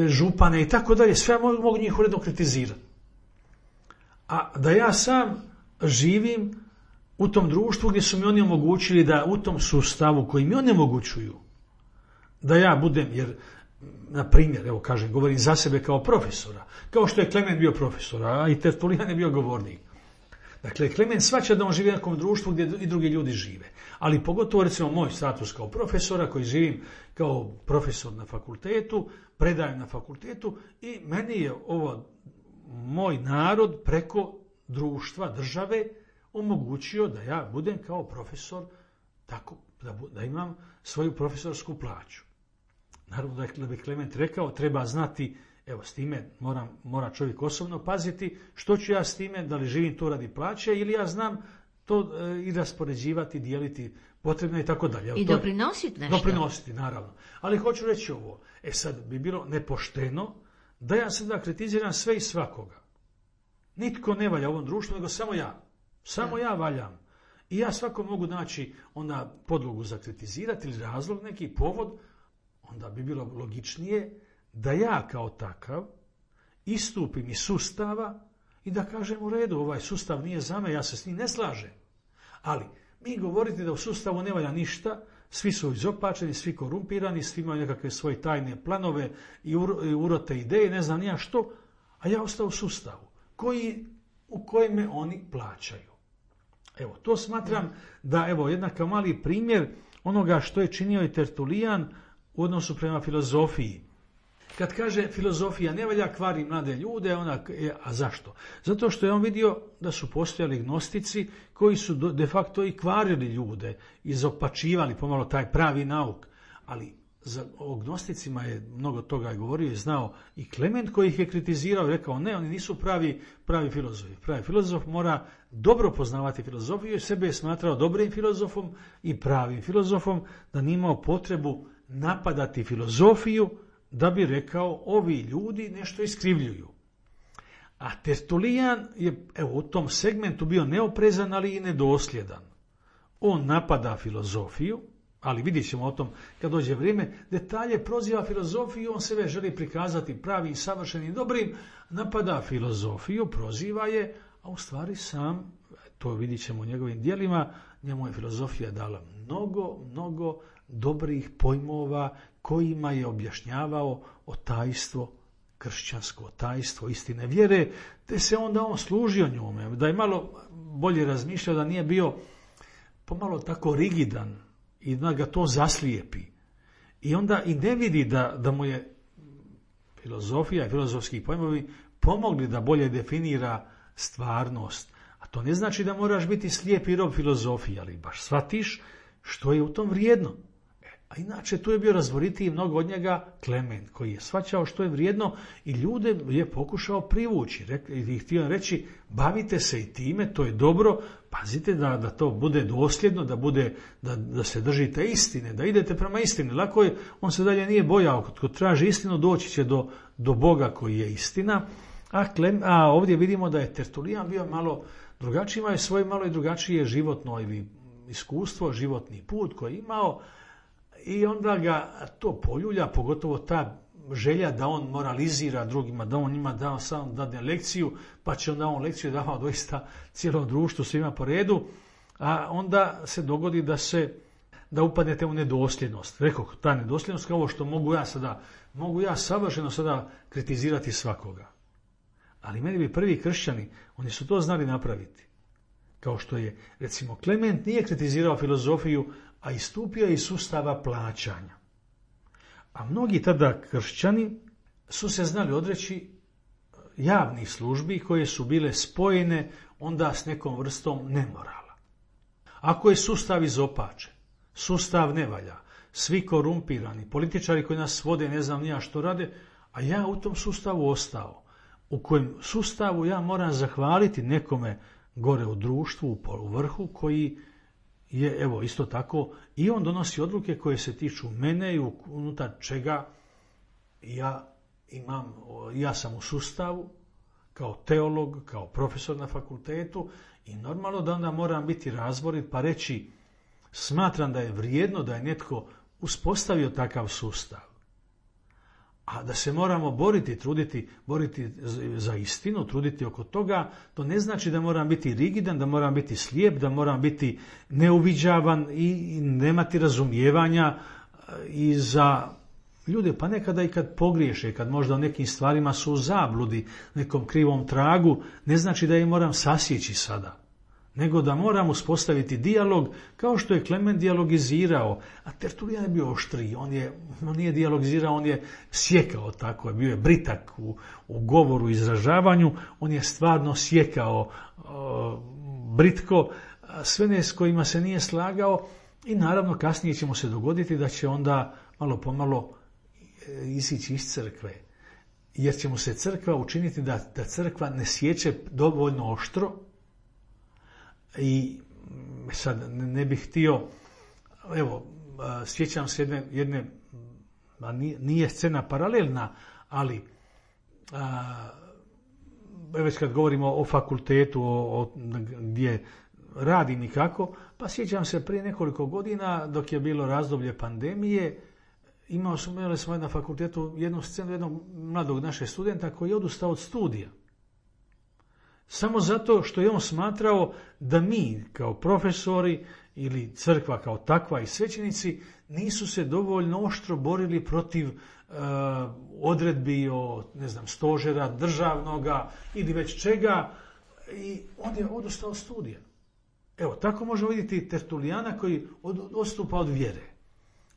župane i tako dalje, sve mogu njih uredno kritizirati. A da ja sam živim u tom društvu gdje su mi oni omogućili da u tom sustavu koji mi oni omogućuju, da ja budem, jer na primjer, evo kažem, govorim za sebe kao profesora, kao što je Klement bio profesor, a i Tertulijan je bio govornik. Dakle, Klement shvaća da on živi u nekom društvu gdje i drugi ljudi žive. Ali pogotovo, recimo, moj status kao profesora, koji živim kao profesor na fakultetu, predajem na fakultetu i meni je ovo moj narod preko društva, države, omogućio da ja budem kao profesor, tako da imam svoju profesorsku plaću. Naravno da bi Klement rekao, treba znati, evo s time mora čovjek osobno paziti, što ću ja s time, da li živim to radi plaće ili ja znam to i raspoređivati, dijeliti potrebno i tako dalje. I doprinositi nešto. Doprinositi, naravno. Ali hoću reći ovo, sad bi bilo nepošteno da ja sada kritiziram sve i svakoga. Nitko ne valja u ovom društvu, nego samo ja. Samo ja valjam. I ja svako mogu naći onda podlogu za kritizirati ili razlog, neki povod, onda bi bilo logičnije da ja kao takav istupim iz sustava i da kažem u redu, ovaj sustav nije za me, ja se s njim ne slažem. Ali mi govorite da u sustavu ne valja ništa, svi su izopačeni, svi korumpirani, svi imaju nekakve svoje tajne planove i urote ideje, ne znam nija što, a ja ostao u sustavu u kojem me oni plaćaju. Evo, to smatram da, evo, jednako mali primjer onoga što je činio i Tertulijan u odnosu prema filozofiji. Kad kaže filozofija ne valja, kvari mlade ljude, a zašto? Zato što je on vidio da su postojali gnostici koji su de facto i kvarili ljude, izopačivali pomalo taj pravi nauk. Ali o gnosticima je mnogo toga govorio i znao i Klement koji ih je kritizirao i rekao ne, oni nisu pravi filozofi. Pravi filozof mora dobro poznavati filozofiju i sebe je smatrao dobrim filozofom i pravim filozofom, da nije imao potrebu napadati filozofiju da bi rekao ovi ljudi nešto iskrivljuju. A Tertulijan je u tom segmentu bio neoprezan, ali i nedosljedan. On napada filozofiju, ali vidjet ćemo o tom kad dođe vrijeme, detalje, proziva filozofiju, on sebe želi prikazati pravim, savršenim, dobrim, napada filozofiju, proziva je, a u stvari sam, to vidjet ćemo u njegovim djelima, njemu je filozofija dala mnogo dobrih pojmova kojima je objašnjavao otajstvo, kršćansko otajstvo, istine vjere, te se onda on služio njome, da je malo bolje razmišljao, da nije bio pomalo tako rigidan i da ga to zaslijepi. I onda i ne vidi da mu je filozofija i filozofski pojmovi pomogli da bolje definira stvarnost. A to ne znači da moraš biti slijep i rob filozofije, ali baš shvatiš što je u tom vrijedno. A inače tu je bio razboritiji mnogo od njega Klement, koji je shvaćao što je vrijedno i ljude je pokušao privući. I htio reći, bavite se i time, to je dobro, pazite da to bude dosljedno, da se držite istine, da idete prema istini. Lako je, on se dalje nije bojao, tko traži istinu doći će do Boga koji je istina. A ovdje vidimo da je Tertulijan bio malo drugačiji, imao je svoje malo i drugačije životno ili iskustvo, životni put koji je imao. I onda ga to poljulja, pogotovo ta želja da on moralizira drugima, da on njima dadne lekciju, pa će onda on lekciju davao doista cijelom društvu, svima po redu, a onda se dogodi da upadnete u nedosljednost. Rekao, ta nedosljednost kao ovo što mogu ja savršeno sada kritizirati svakoga. Ali meni bi prvi kršćani, oni su to znali napraviti. Kao što je, recimo, Klement nije kritizirao filozofiju, a istupio je iz sustava plaćanja. A mnogi tada kršćani su se znali odreći javnih službi koje su bile spojene onda s nekom vrstom nemorala. Ako je sustav izopačen, sustav ne valja, svi korumpirani, političari koji nas vode, ne znam nija što rade, a ja u tom sustavu ostao, u kojem sustavu ja moram zahvaliti nekome gore u društvu, u vrhu, koji je, evo, isto tako, i on donosi odluke koje se tiču mene i unutar čega ja sam u sustavu, kao teolog, kao profesor na fakultetu i normalno da onda moram biti razborit pa reći smatram da je vrijedno da je netko uspostavio takav sustav. A da se moramo boriti za istinu, truditi oko toga, to ne znači da moram biti rigidan, da moram biti slijep, da moram biti neuviđavan i nemati razumijevanja i za ljude, pa nekada i kad pogriješe, kad možda u nekim stvarima su u zabludi, nekom krivom tragu, ne znači da je moram sasjeći sada, nego da moram uspostaviti dijalog kao što je Klement dijalogizirao, a Tertulijan je bio oštriji, on nije dijalogizirao, on je sjekao tako, bio je britak u govoru, izražavanju, on je stvarno sjekao britko sve ne s kojima se nije slagao i naravno kasnije će mu se dogoditi da će onda malo pomalo isići iz crkve, jer će mu se crkva učiniti da crkva ne sječe dovoljno oštro. I sad ne bih htio, evo, sjećam se jedne nije scena paralelna, ali već kad govorimo o fakultetu, gdje radim i kako, pa sjećam se prije nekoliko godina, dok je bilo razdoblje pandemije, imali smo na fakultetu jednu scenu jednog mladog našeg studenta koji je odustao od studija. Samo zato što je on smatrao da mi kao profesori ili crkva kao takva i svećenici nisu se dovoljno oštro borili protiv odredbi o, stožera državnoga ili već čega i on je odustao od studija. Evo, tako možemo vidjeti Tertulijana koji odstupa od vjere.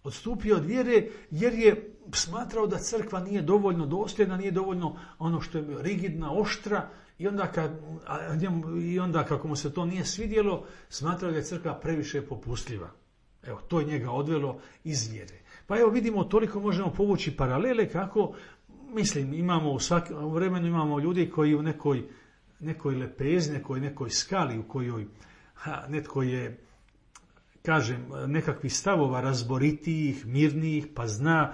Odstupio od vjere jer je smatrao da crkva nije dovoljno dosljedna, nije dovoljno ono što je rigidna, oštra, i onda kako mu se to nije svidjelo, smatrao da je crkva previše popustljiva. Evo, to je njega odvelo iz vjere. Pa evo vidimo, toliko možemo povući paralele kako, imamo u svakom vremenu imamo ljudi koji u nekoj lepezi, nekoj skali u kojoj netko je, kažem, nekakvih stavova razboritijih, mirnijih, pa zna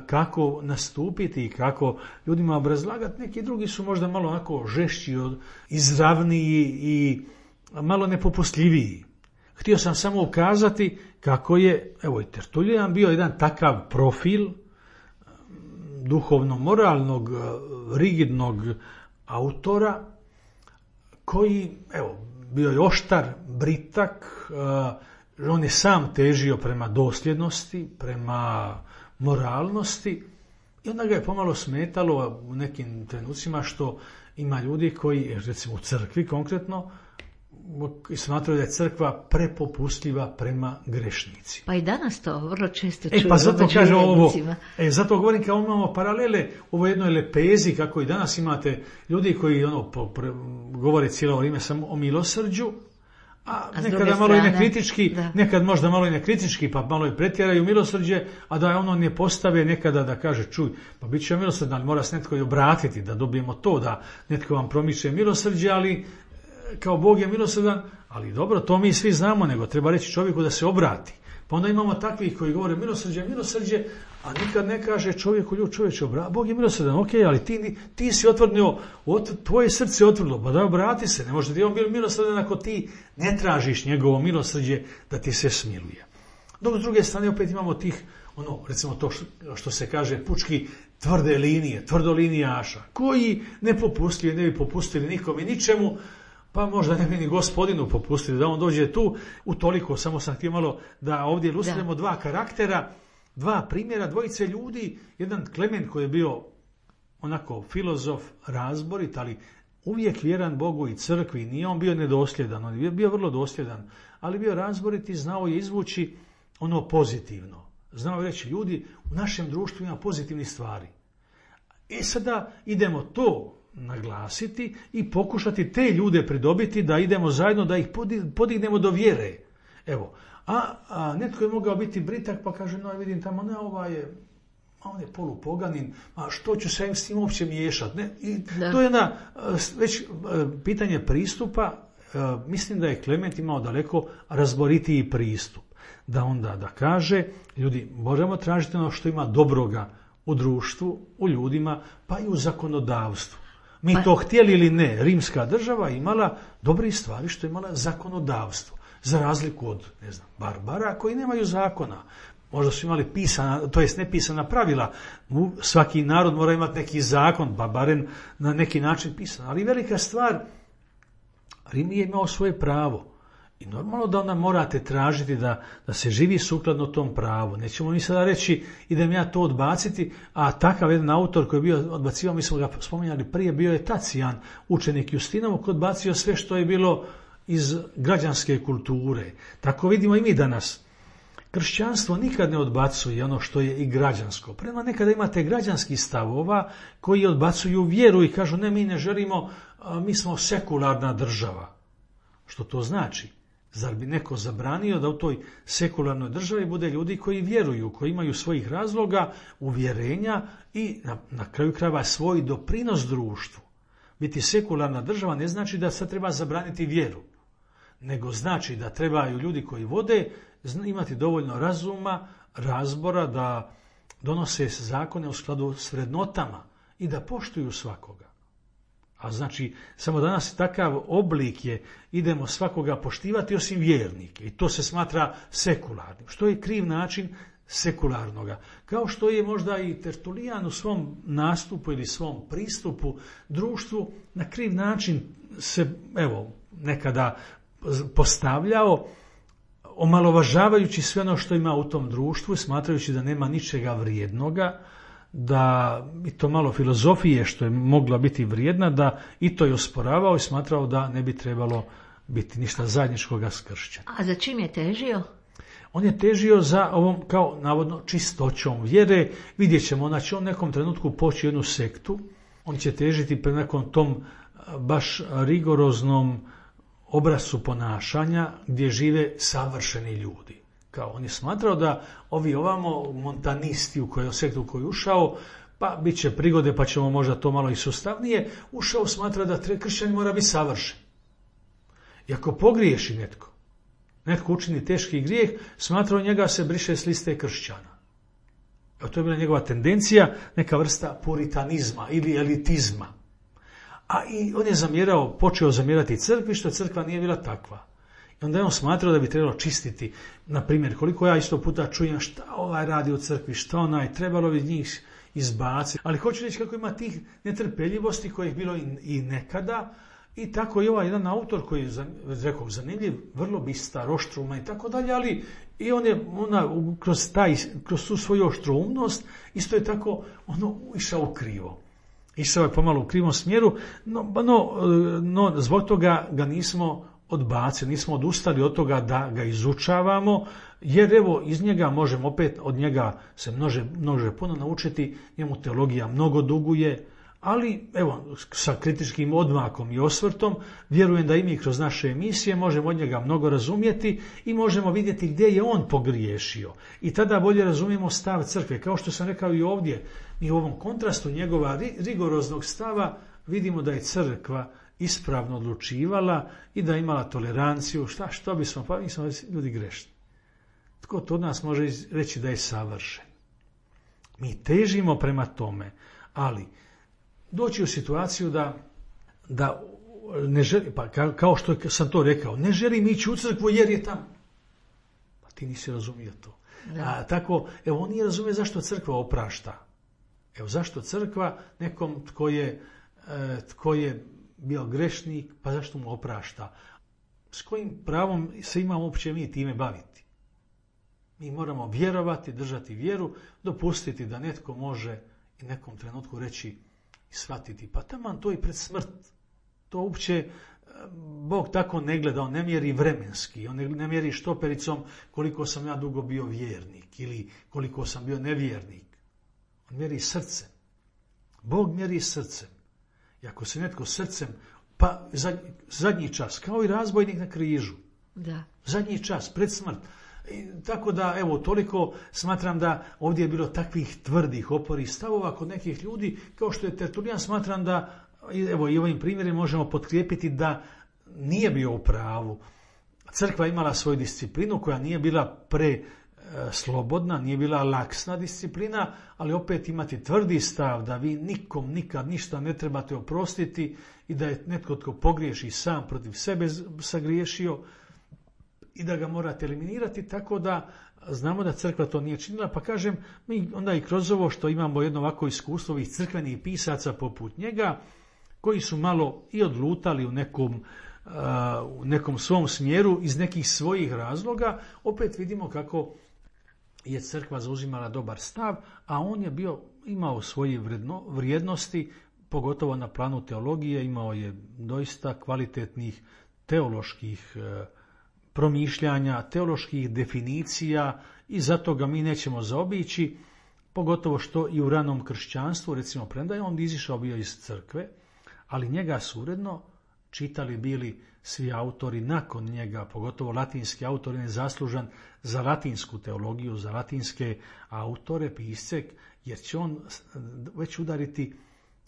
kako nastupiti i kako ljudima obrazlagati. Neki drugi su možda malo onako žešći, izravniji i malo nepopustljiviji. Htio sam samo ukazati kako je, evo i Tertulijan bio jedan takav profil duhovno-moralnog, rigidnog autora koji, evo, bio je oštar, britak, on je sam težio prema dosljednosti, prema moralnosti i onda ga je pomalo smetalo u nekim trenucima što ima ljudi koji, recimo u crkvi konkretno, smatraju da je crkva prepopustljiva prema grešnicima. Pa i danas to vrlo često čujemo. Pa zato kažem ovo, zato govorim kao imamo paralele u jednoj lepezi, kako i danas imate ljudi koji govore cijelo vrijeme samo o milosrđu, a nekada malo i nekritički, nekad možda malo i nekritički, pa malo i pretjeraju milosrđe, a da ono ne postave nekada da kaže, čuj, pa bit će milosrđan, ali mora se netko i obratiti, da dobijemo to, da netko vam promiče milosrđe, ali kao Bog je milosrdan, ali dobro, to mi svi znamo, nego treba reći čovjeku da se obrati. Pa onda imamo takvih koji govore milosrđe, a nikad ne kaže čovjeku, čovječe, Bog je milosrdan, ok, ali ti si otvrdnio, tvoje srce je otvrdilo, pa da obrati se, ne može ti on biti milosrdan ako ti ne tražiš njegovo milosrđe da ti se smiluje. Dok s druge strane opet imamo tih, recimo to što se kaže pučki tvrde linije, tvrdolinijaša, koji ne bi popustili nikom i ničemu, pa možda ne bi ni Gospodinu popustili da on dođe tu. Utoliko, samo sam htio malo da ovdje ilustriramo dva karaktera, dva primjera, dvojice ljudi. Jedan Klement koji je bio onako filozof, razborit, ali uvijek vjeran Bogu i crkvi. Nije on bio nedosljedan, on je bio vrlo dosljedan, ali bio razborit i znao je izvući ono pozitivno. Znao je reći, ljudi, u našem društvu ima pozitivnih stvari. Sada idemo to naglasiti i pokušati te ljude pridobiti da idemo zajedno, da ih podignemo do vjere. Evo, a netko je mogao biti britak pa kaže, no vidim tamo, ne, on je polupoganin, a što ću se s tim uopće miješati? To je već pitanje pristupa. Mislim da je Klement imao daleko razboritiji pristup. Da onda da kaže, ljudi, možemo tražiti ono što ima dobroga u društvu, u ljudima, pa i u zakonodavstvu. Mi to htjeli ili ne, rimska država imala dobre stvari što je imala zakonodavstvo. Za razliku od, Barbara koji nemaju zakona. Možda su imali pisana, to jest nepisana pravila. Svaki narod mora imati neki zakon, pa barem na neki način pisan. Ali velika stvar, Rim je imao svoje pravo. I normalno da onda morate tražiti da se živi sukladno tom pravu. Nećemo mi sada reći idem ja to odbaciti, a takav jedan autor koji je bio odbacivao, mi smo ga spominjali prije, bio je Tacijan, učenik Justinov, koji odbacio sve što je bilo iz građanske kulture. Tako vidimo i mi danas. Kršćanstvo nikad ne odbacuje ono što je i građansko. Prema nekada imate građanskih stavova koji odbacuju vjeru i kažu ne, mi ne želimo, mi smo sekularna država. Što to znači? Zar bi neko zabranio da u toj sekularnoj državi bude ljudi koji vjeruju, koji imaju svojih razloga, uvjerenja i na kraju krajeva svoj doprinos društvu? Biti sekularna država ne znači da se treba zabraniti vjeru, nego znači da trebaju ljudi koji vode imati dovoljno razuma, razbora, da donose zakone u skladu s vrednotama i da poštuju svakoga. A znači, samo danas takav oblik je, idemo svakoga poštivati osim vjernike. I to se smatra sekularnim. Što je kriv način sekularnoga. Kao što je možda i Tertulijan u svom nastupu ili svom pristupu društvu na kriv način se, nekada postavljao, omalovažavajući sve ono što ima u tom društvu, smatrajući da nema ničega vrijednoga, da i to malo filozofije što je mogla biti vrijedna, da i to je osporavao i smatrao da ne bi trebalo biti ništa zajedničkoga s kršćanima. A za čim je težio? On je težio za ovom, kao navodno, čistoćom vjere. Vidjet ćemo, znači on nekom trenutku poći jednu sektu, on će težiti prema nekom tom baš rigoroznom obrascu ponašanja gdje žive savršeni ljudi. Kao on je smatrao da ovi ovamo montanisti u sektu u koju ušao, pa bit će prigode pa ćemo možda to malo i sustavnije, ušao smatra da kršćanin mora biti savršen. I ako pogriješi netko učini teški grijeh, smatrao njega se briše s liste kršćana. A to je bila njegova tendencija, neka vrsta puritanizma ili elitizma. A i on je počeo zamjerati crkvi, što crkva nije bila takva. I onda je on smatrao da bi trebalo čistiti. Na primjer, koliko ja isto puta čujem šta ovaj radi u crkvi, šta onaj, trebalo bi njih izbaciti. Ali hoću reći kako ima tih netrpeljivosti kojih je bilo i nekada. I tako i ovaj jedan autor koji je, rekao, zanimljiv, vrlo bistar, oštruman i tako dalje, ali i on je kroz tu svoju oštrumnost isto je tako išao krivo. Išao je pomalo u krivom smjeru, no zbog toga ga nismo odbacili, nismo odustali od toga da ga izučavamo, jer iz njega možemo opet, od njega se množe puno naučiti, njemu teologija mnogo duguje, ali sa kritičkim odmakom i osvrtom vjerujem da i mi kroz naše emisije možemo od njega mnogo razumjeti i možemo vidjeti gdje je on pogriješio. I tada bolje razumijemo stav crkve. Kao što sam rekao i ovdje, mi u ovom kontrastu njegova rigoroznog stava vidimo da je crkva ispravno odlučivala i da je imala toleranciju. Što bismo, pa mi smo ljudi grešni. Tko to od nas može reći da je savršen? Mi težimo prema tome, ali doći u situaciju da ne želi, pa kao što sam to rekao, ne želim ići u crkvu jer je tamo. Pa ti nisi razumio to. A tako, on nije razumio zašto crkva oprašta. Zašto crkva nekom tko je bio grešnik, pa zašto mu oprašta? S kojim pravom se imamo uopće mi time baviti? Mi moramo vjerovati, držati vjeru, dopustiti da netko može i nekom trenutku reći i shvatiti, pa taman to i pred smrt. To uopće Bog tako ne gleda, on ne mjeri vremenski, on ne mjeri štopericom koliko sam ja dugo bio vjernik ili koliko sam bio nevjernik. On mjeri srcem. Bog mjeri srcem. I ako se netko srcem, pa zadnji čas, kao i razbojnik na križu. Da. Zadnji čas, pred smrt. Tako da, toliko smatram da ovdje je bilo takvih tvrdih oporih stavova kod nekih ljudi, kao što je Tertulijan, smatram da, i ovim primjerima možemo potkrijepiti da nije bio u pravu. Crkva imala svoju disciplinu koja nije bila slobodna, nije bila laksna disciplina, ali opet imati tvrdi stav da vi nikom nikad ništa ne trebate oprostiti i da je netko tko pogriješi sam protiv sebe sagriješio i da ga morate eliminirati, tako da znamo da crkva to nije činila, pa kažem, mi onda i kroz ovo što imamo jedno ovako iskustvo ovih crkvenih pisaca poput njega, koji su malo i odlutali u nekom svom smjeru iz nekih svojih razloga, opet vidimo kako je crkva zauzimala dobar stav, a on je imao svoje vrijednosti, pogotovo na planu teologije, imao je doista kvalitetnih teoloških promišljanja, teoloških definicija i zato ga mi nećemo zaobići, pogotovo što i u ranom kršćanstvu, recimo, premda je on izišao bio iz crkve, ali njega su uredno čitali bili svi autori nakon njega, pogotovo latinski autor, je zaslužan za latinsku teologiju, za latinske autore, pisce, jer će on već udariti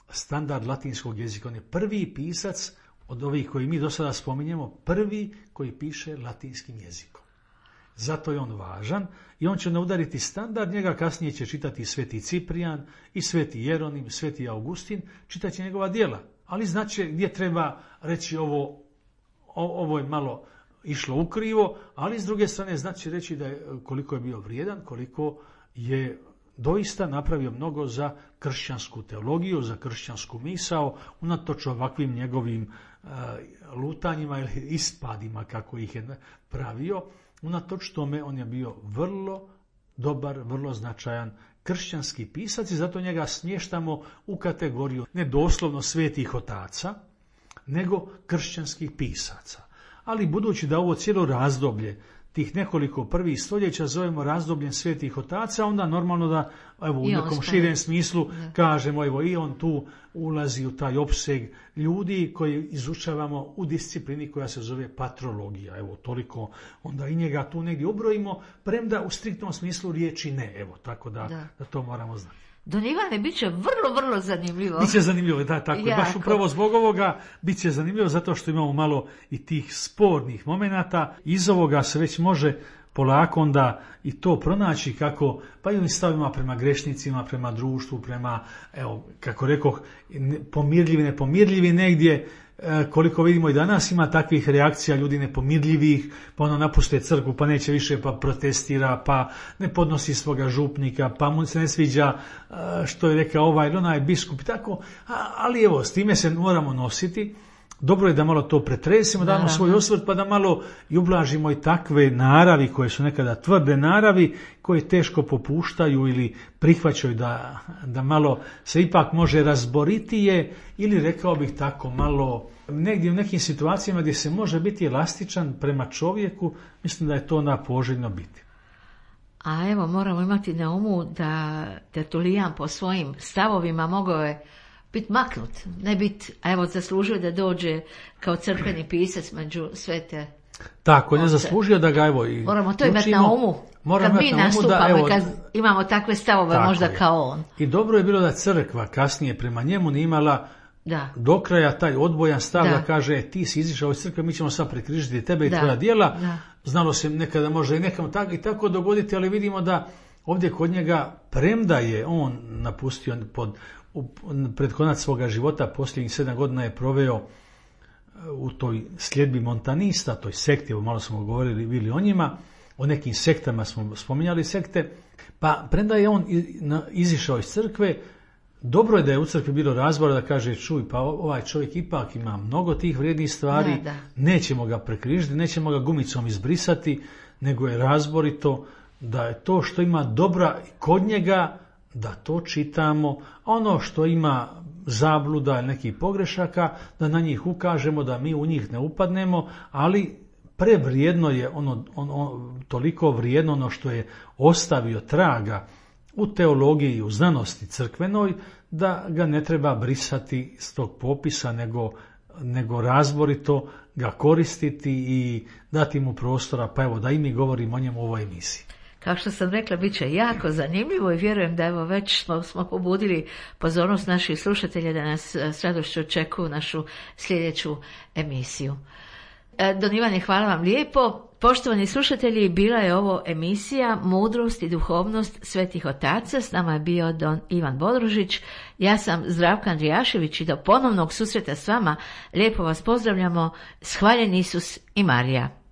standard latinskog jezika. On je prvi pisac od ovih koji mi do sada spominjemo, prvi koji piše latinskim jezikom. Zato je on važan i on će udariti standard, njega kasnije će čitati sveti Ciprijan i sveti Jeronim, sveti Augustin, čitat će njegova djela. Ali znači gdje treba reći ovo je malo išlo ukrivo, ali s druge strane znači reći da je, koliko je bio vrijedan, koliko je doista napravio mnogo za kršćansku teologiju, za kršćansku misao, unatoč ovakvim njegovim lutanjima ili ispadima kako ih je pravio. Unatoč tome on je bio vrlo dobar, vrlo značajan kršćanski pisac i zato njega smještamo u kategoriju ne doslovno svetih otaca, nego kršćanskih pisaca. Ali budući da ovo cijelo razdoblje, tih nekoliko prvih stoljeća zovemo razdobljem svetih otaca, onda normalno da u nekom širem smislu kažemo i on tu ulazi u taj opseg ljudi koji izučavamo u disciplini koja se zove patrologija. Toliko onda i njega tu negdje ubrojimo, premda u striktnom smislu riječi ne. Tako da to moramo znati. Don Ivane, bit će vrlo, vrlo zanimljivo. Biće zanimljivo, da, tako je. Baš upravo zbog ovoga bit će zanimljivo zato što imamo malo i tih spornih momenata. Iz ovoga se već može polako onda i to pronaći kako, pa i ovim stavima prema grešnicima, prema društvu, prema, kako rekoh, pomirljivi, nepomirljivi negdje. Koliko vidimo i danas ima takvih reakcija ljudi nepomirljivih, pa ono napuste crkvu, pa neće više, pa protestira, pa ne podnosi svoga župnika, pa mu se ne sviđa što je rekao ovaj ili onaj biskup, tako, ali s time se moramo nositi. Dobro je da malo to pretresimo, damo svoj osvrt, pa da malo i ublažimo i takve naravi koje su nekada tvrde naravi, koje teško popuštaju ili prihvaćaju da malo se ipak može razboritije ili rekao bih tako malo negdje u nekim situacijama gdje se može biti elastičan prema čovjeku, mislim da je to poželjno biti. A moramo imati na umu da Tertulijan po svojim stavovima mogao je biti maknut, ne biti, zaslužio da dođe kao crkveni pisac među svete. Tako, ne zaslužio da ga moramo to imati na umu, kad mi nastupamo i kad imamo takve stavove možda kao on. I dobro je bilo da crkva kasnije prema njemu nije imala do kraja taj odbojan stav da kaže ti si izišao iz crkve, mi ćemo sad prekrižiti tebe i tvoja djela. Znalo se nekada može i nekam tako dogoditi, ali vidimo da ovdje kod njega, premda je on napustio pred konac svoga života, posljednjih 7 godina je proveo u toj sljedbi montanista, toj sekti, malo smo govorili bili o njima, o nekim sektama smo spominjali sekte, pa premda je on izišao iz crkve, dobro je da je u crkvi bilo razbora da kaže čuj, pa ovaj čovjek ipak ima mnogo tih vrijednih stvari, nećemo ga prekrižiti, nećemo ga gumicom izbrisati, nego je razborito da je to što ima dobra kod njega, da to čitamo, ono što ima zabluda ili nekih pogrešaka, da na njih ukažemo, da mi u njih ne upadnemo, ali prevrijedno je toliko vrijedno ono što je ostavio traga u teologiji i u znanosti crkvenoj, da ga ne treba brisati s tog popisa, nego razborito ga koristiti i dati mu prostora, pa da i mi govorimo o njemu u ovoj emisiji. Kao što sam rekla, bit će jako zanimljivo i vjerujem da već smo pobudili pozornost naših slušatelja da nas s radošću očekuju našu sljedeću emisiju. Don Ivane, hvala vam lijepo. Poštovani slušatelji, bila je ovo emisija Mudrost i duhovnost svetih otaca. S nama je bio don Ivan Bodrožić. Ja sam Zdravka Andrijašević i do ponovnog susreta s vama lijepo vas pozdravljamo. Shvaljen Isus i Marija.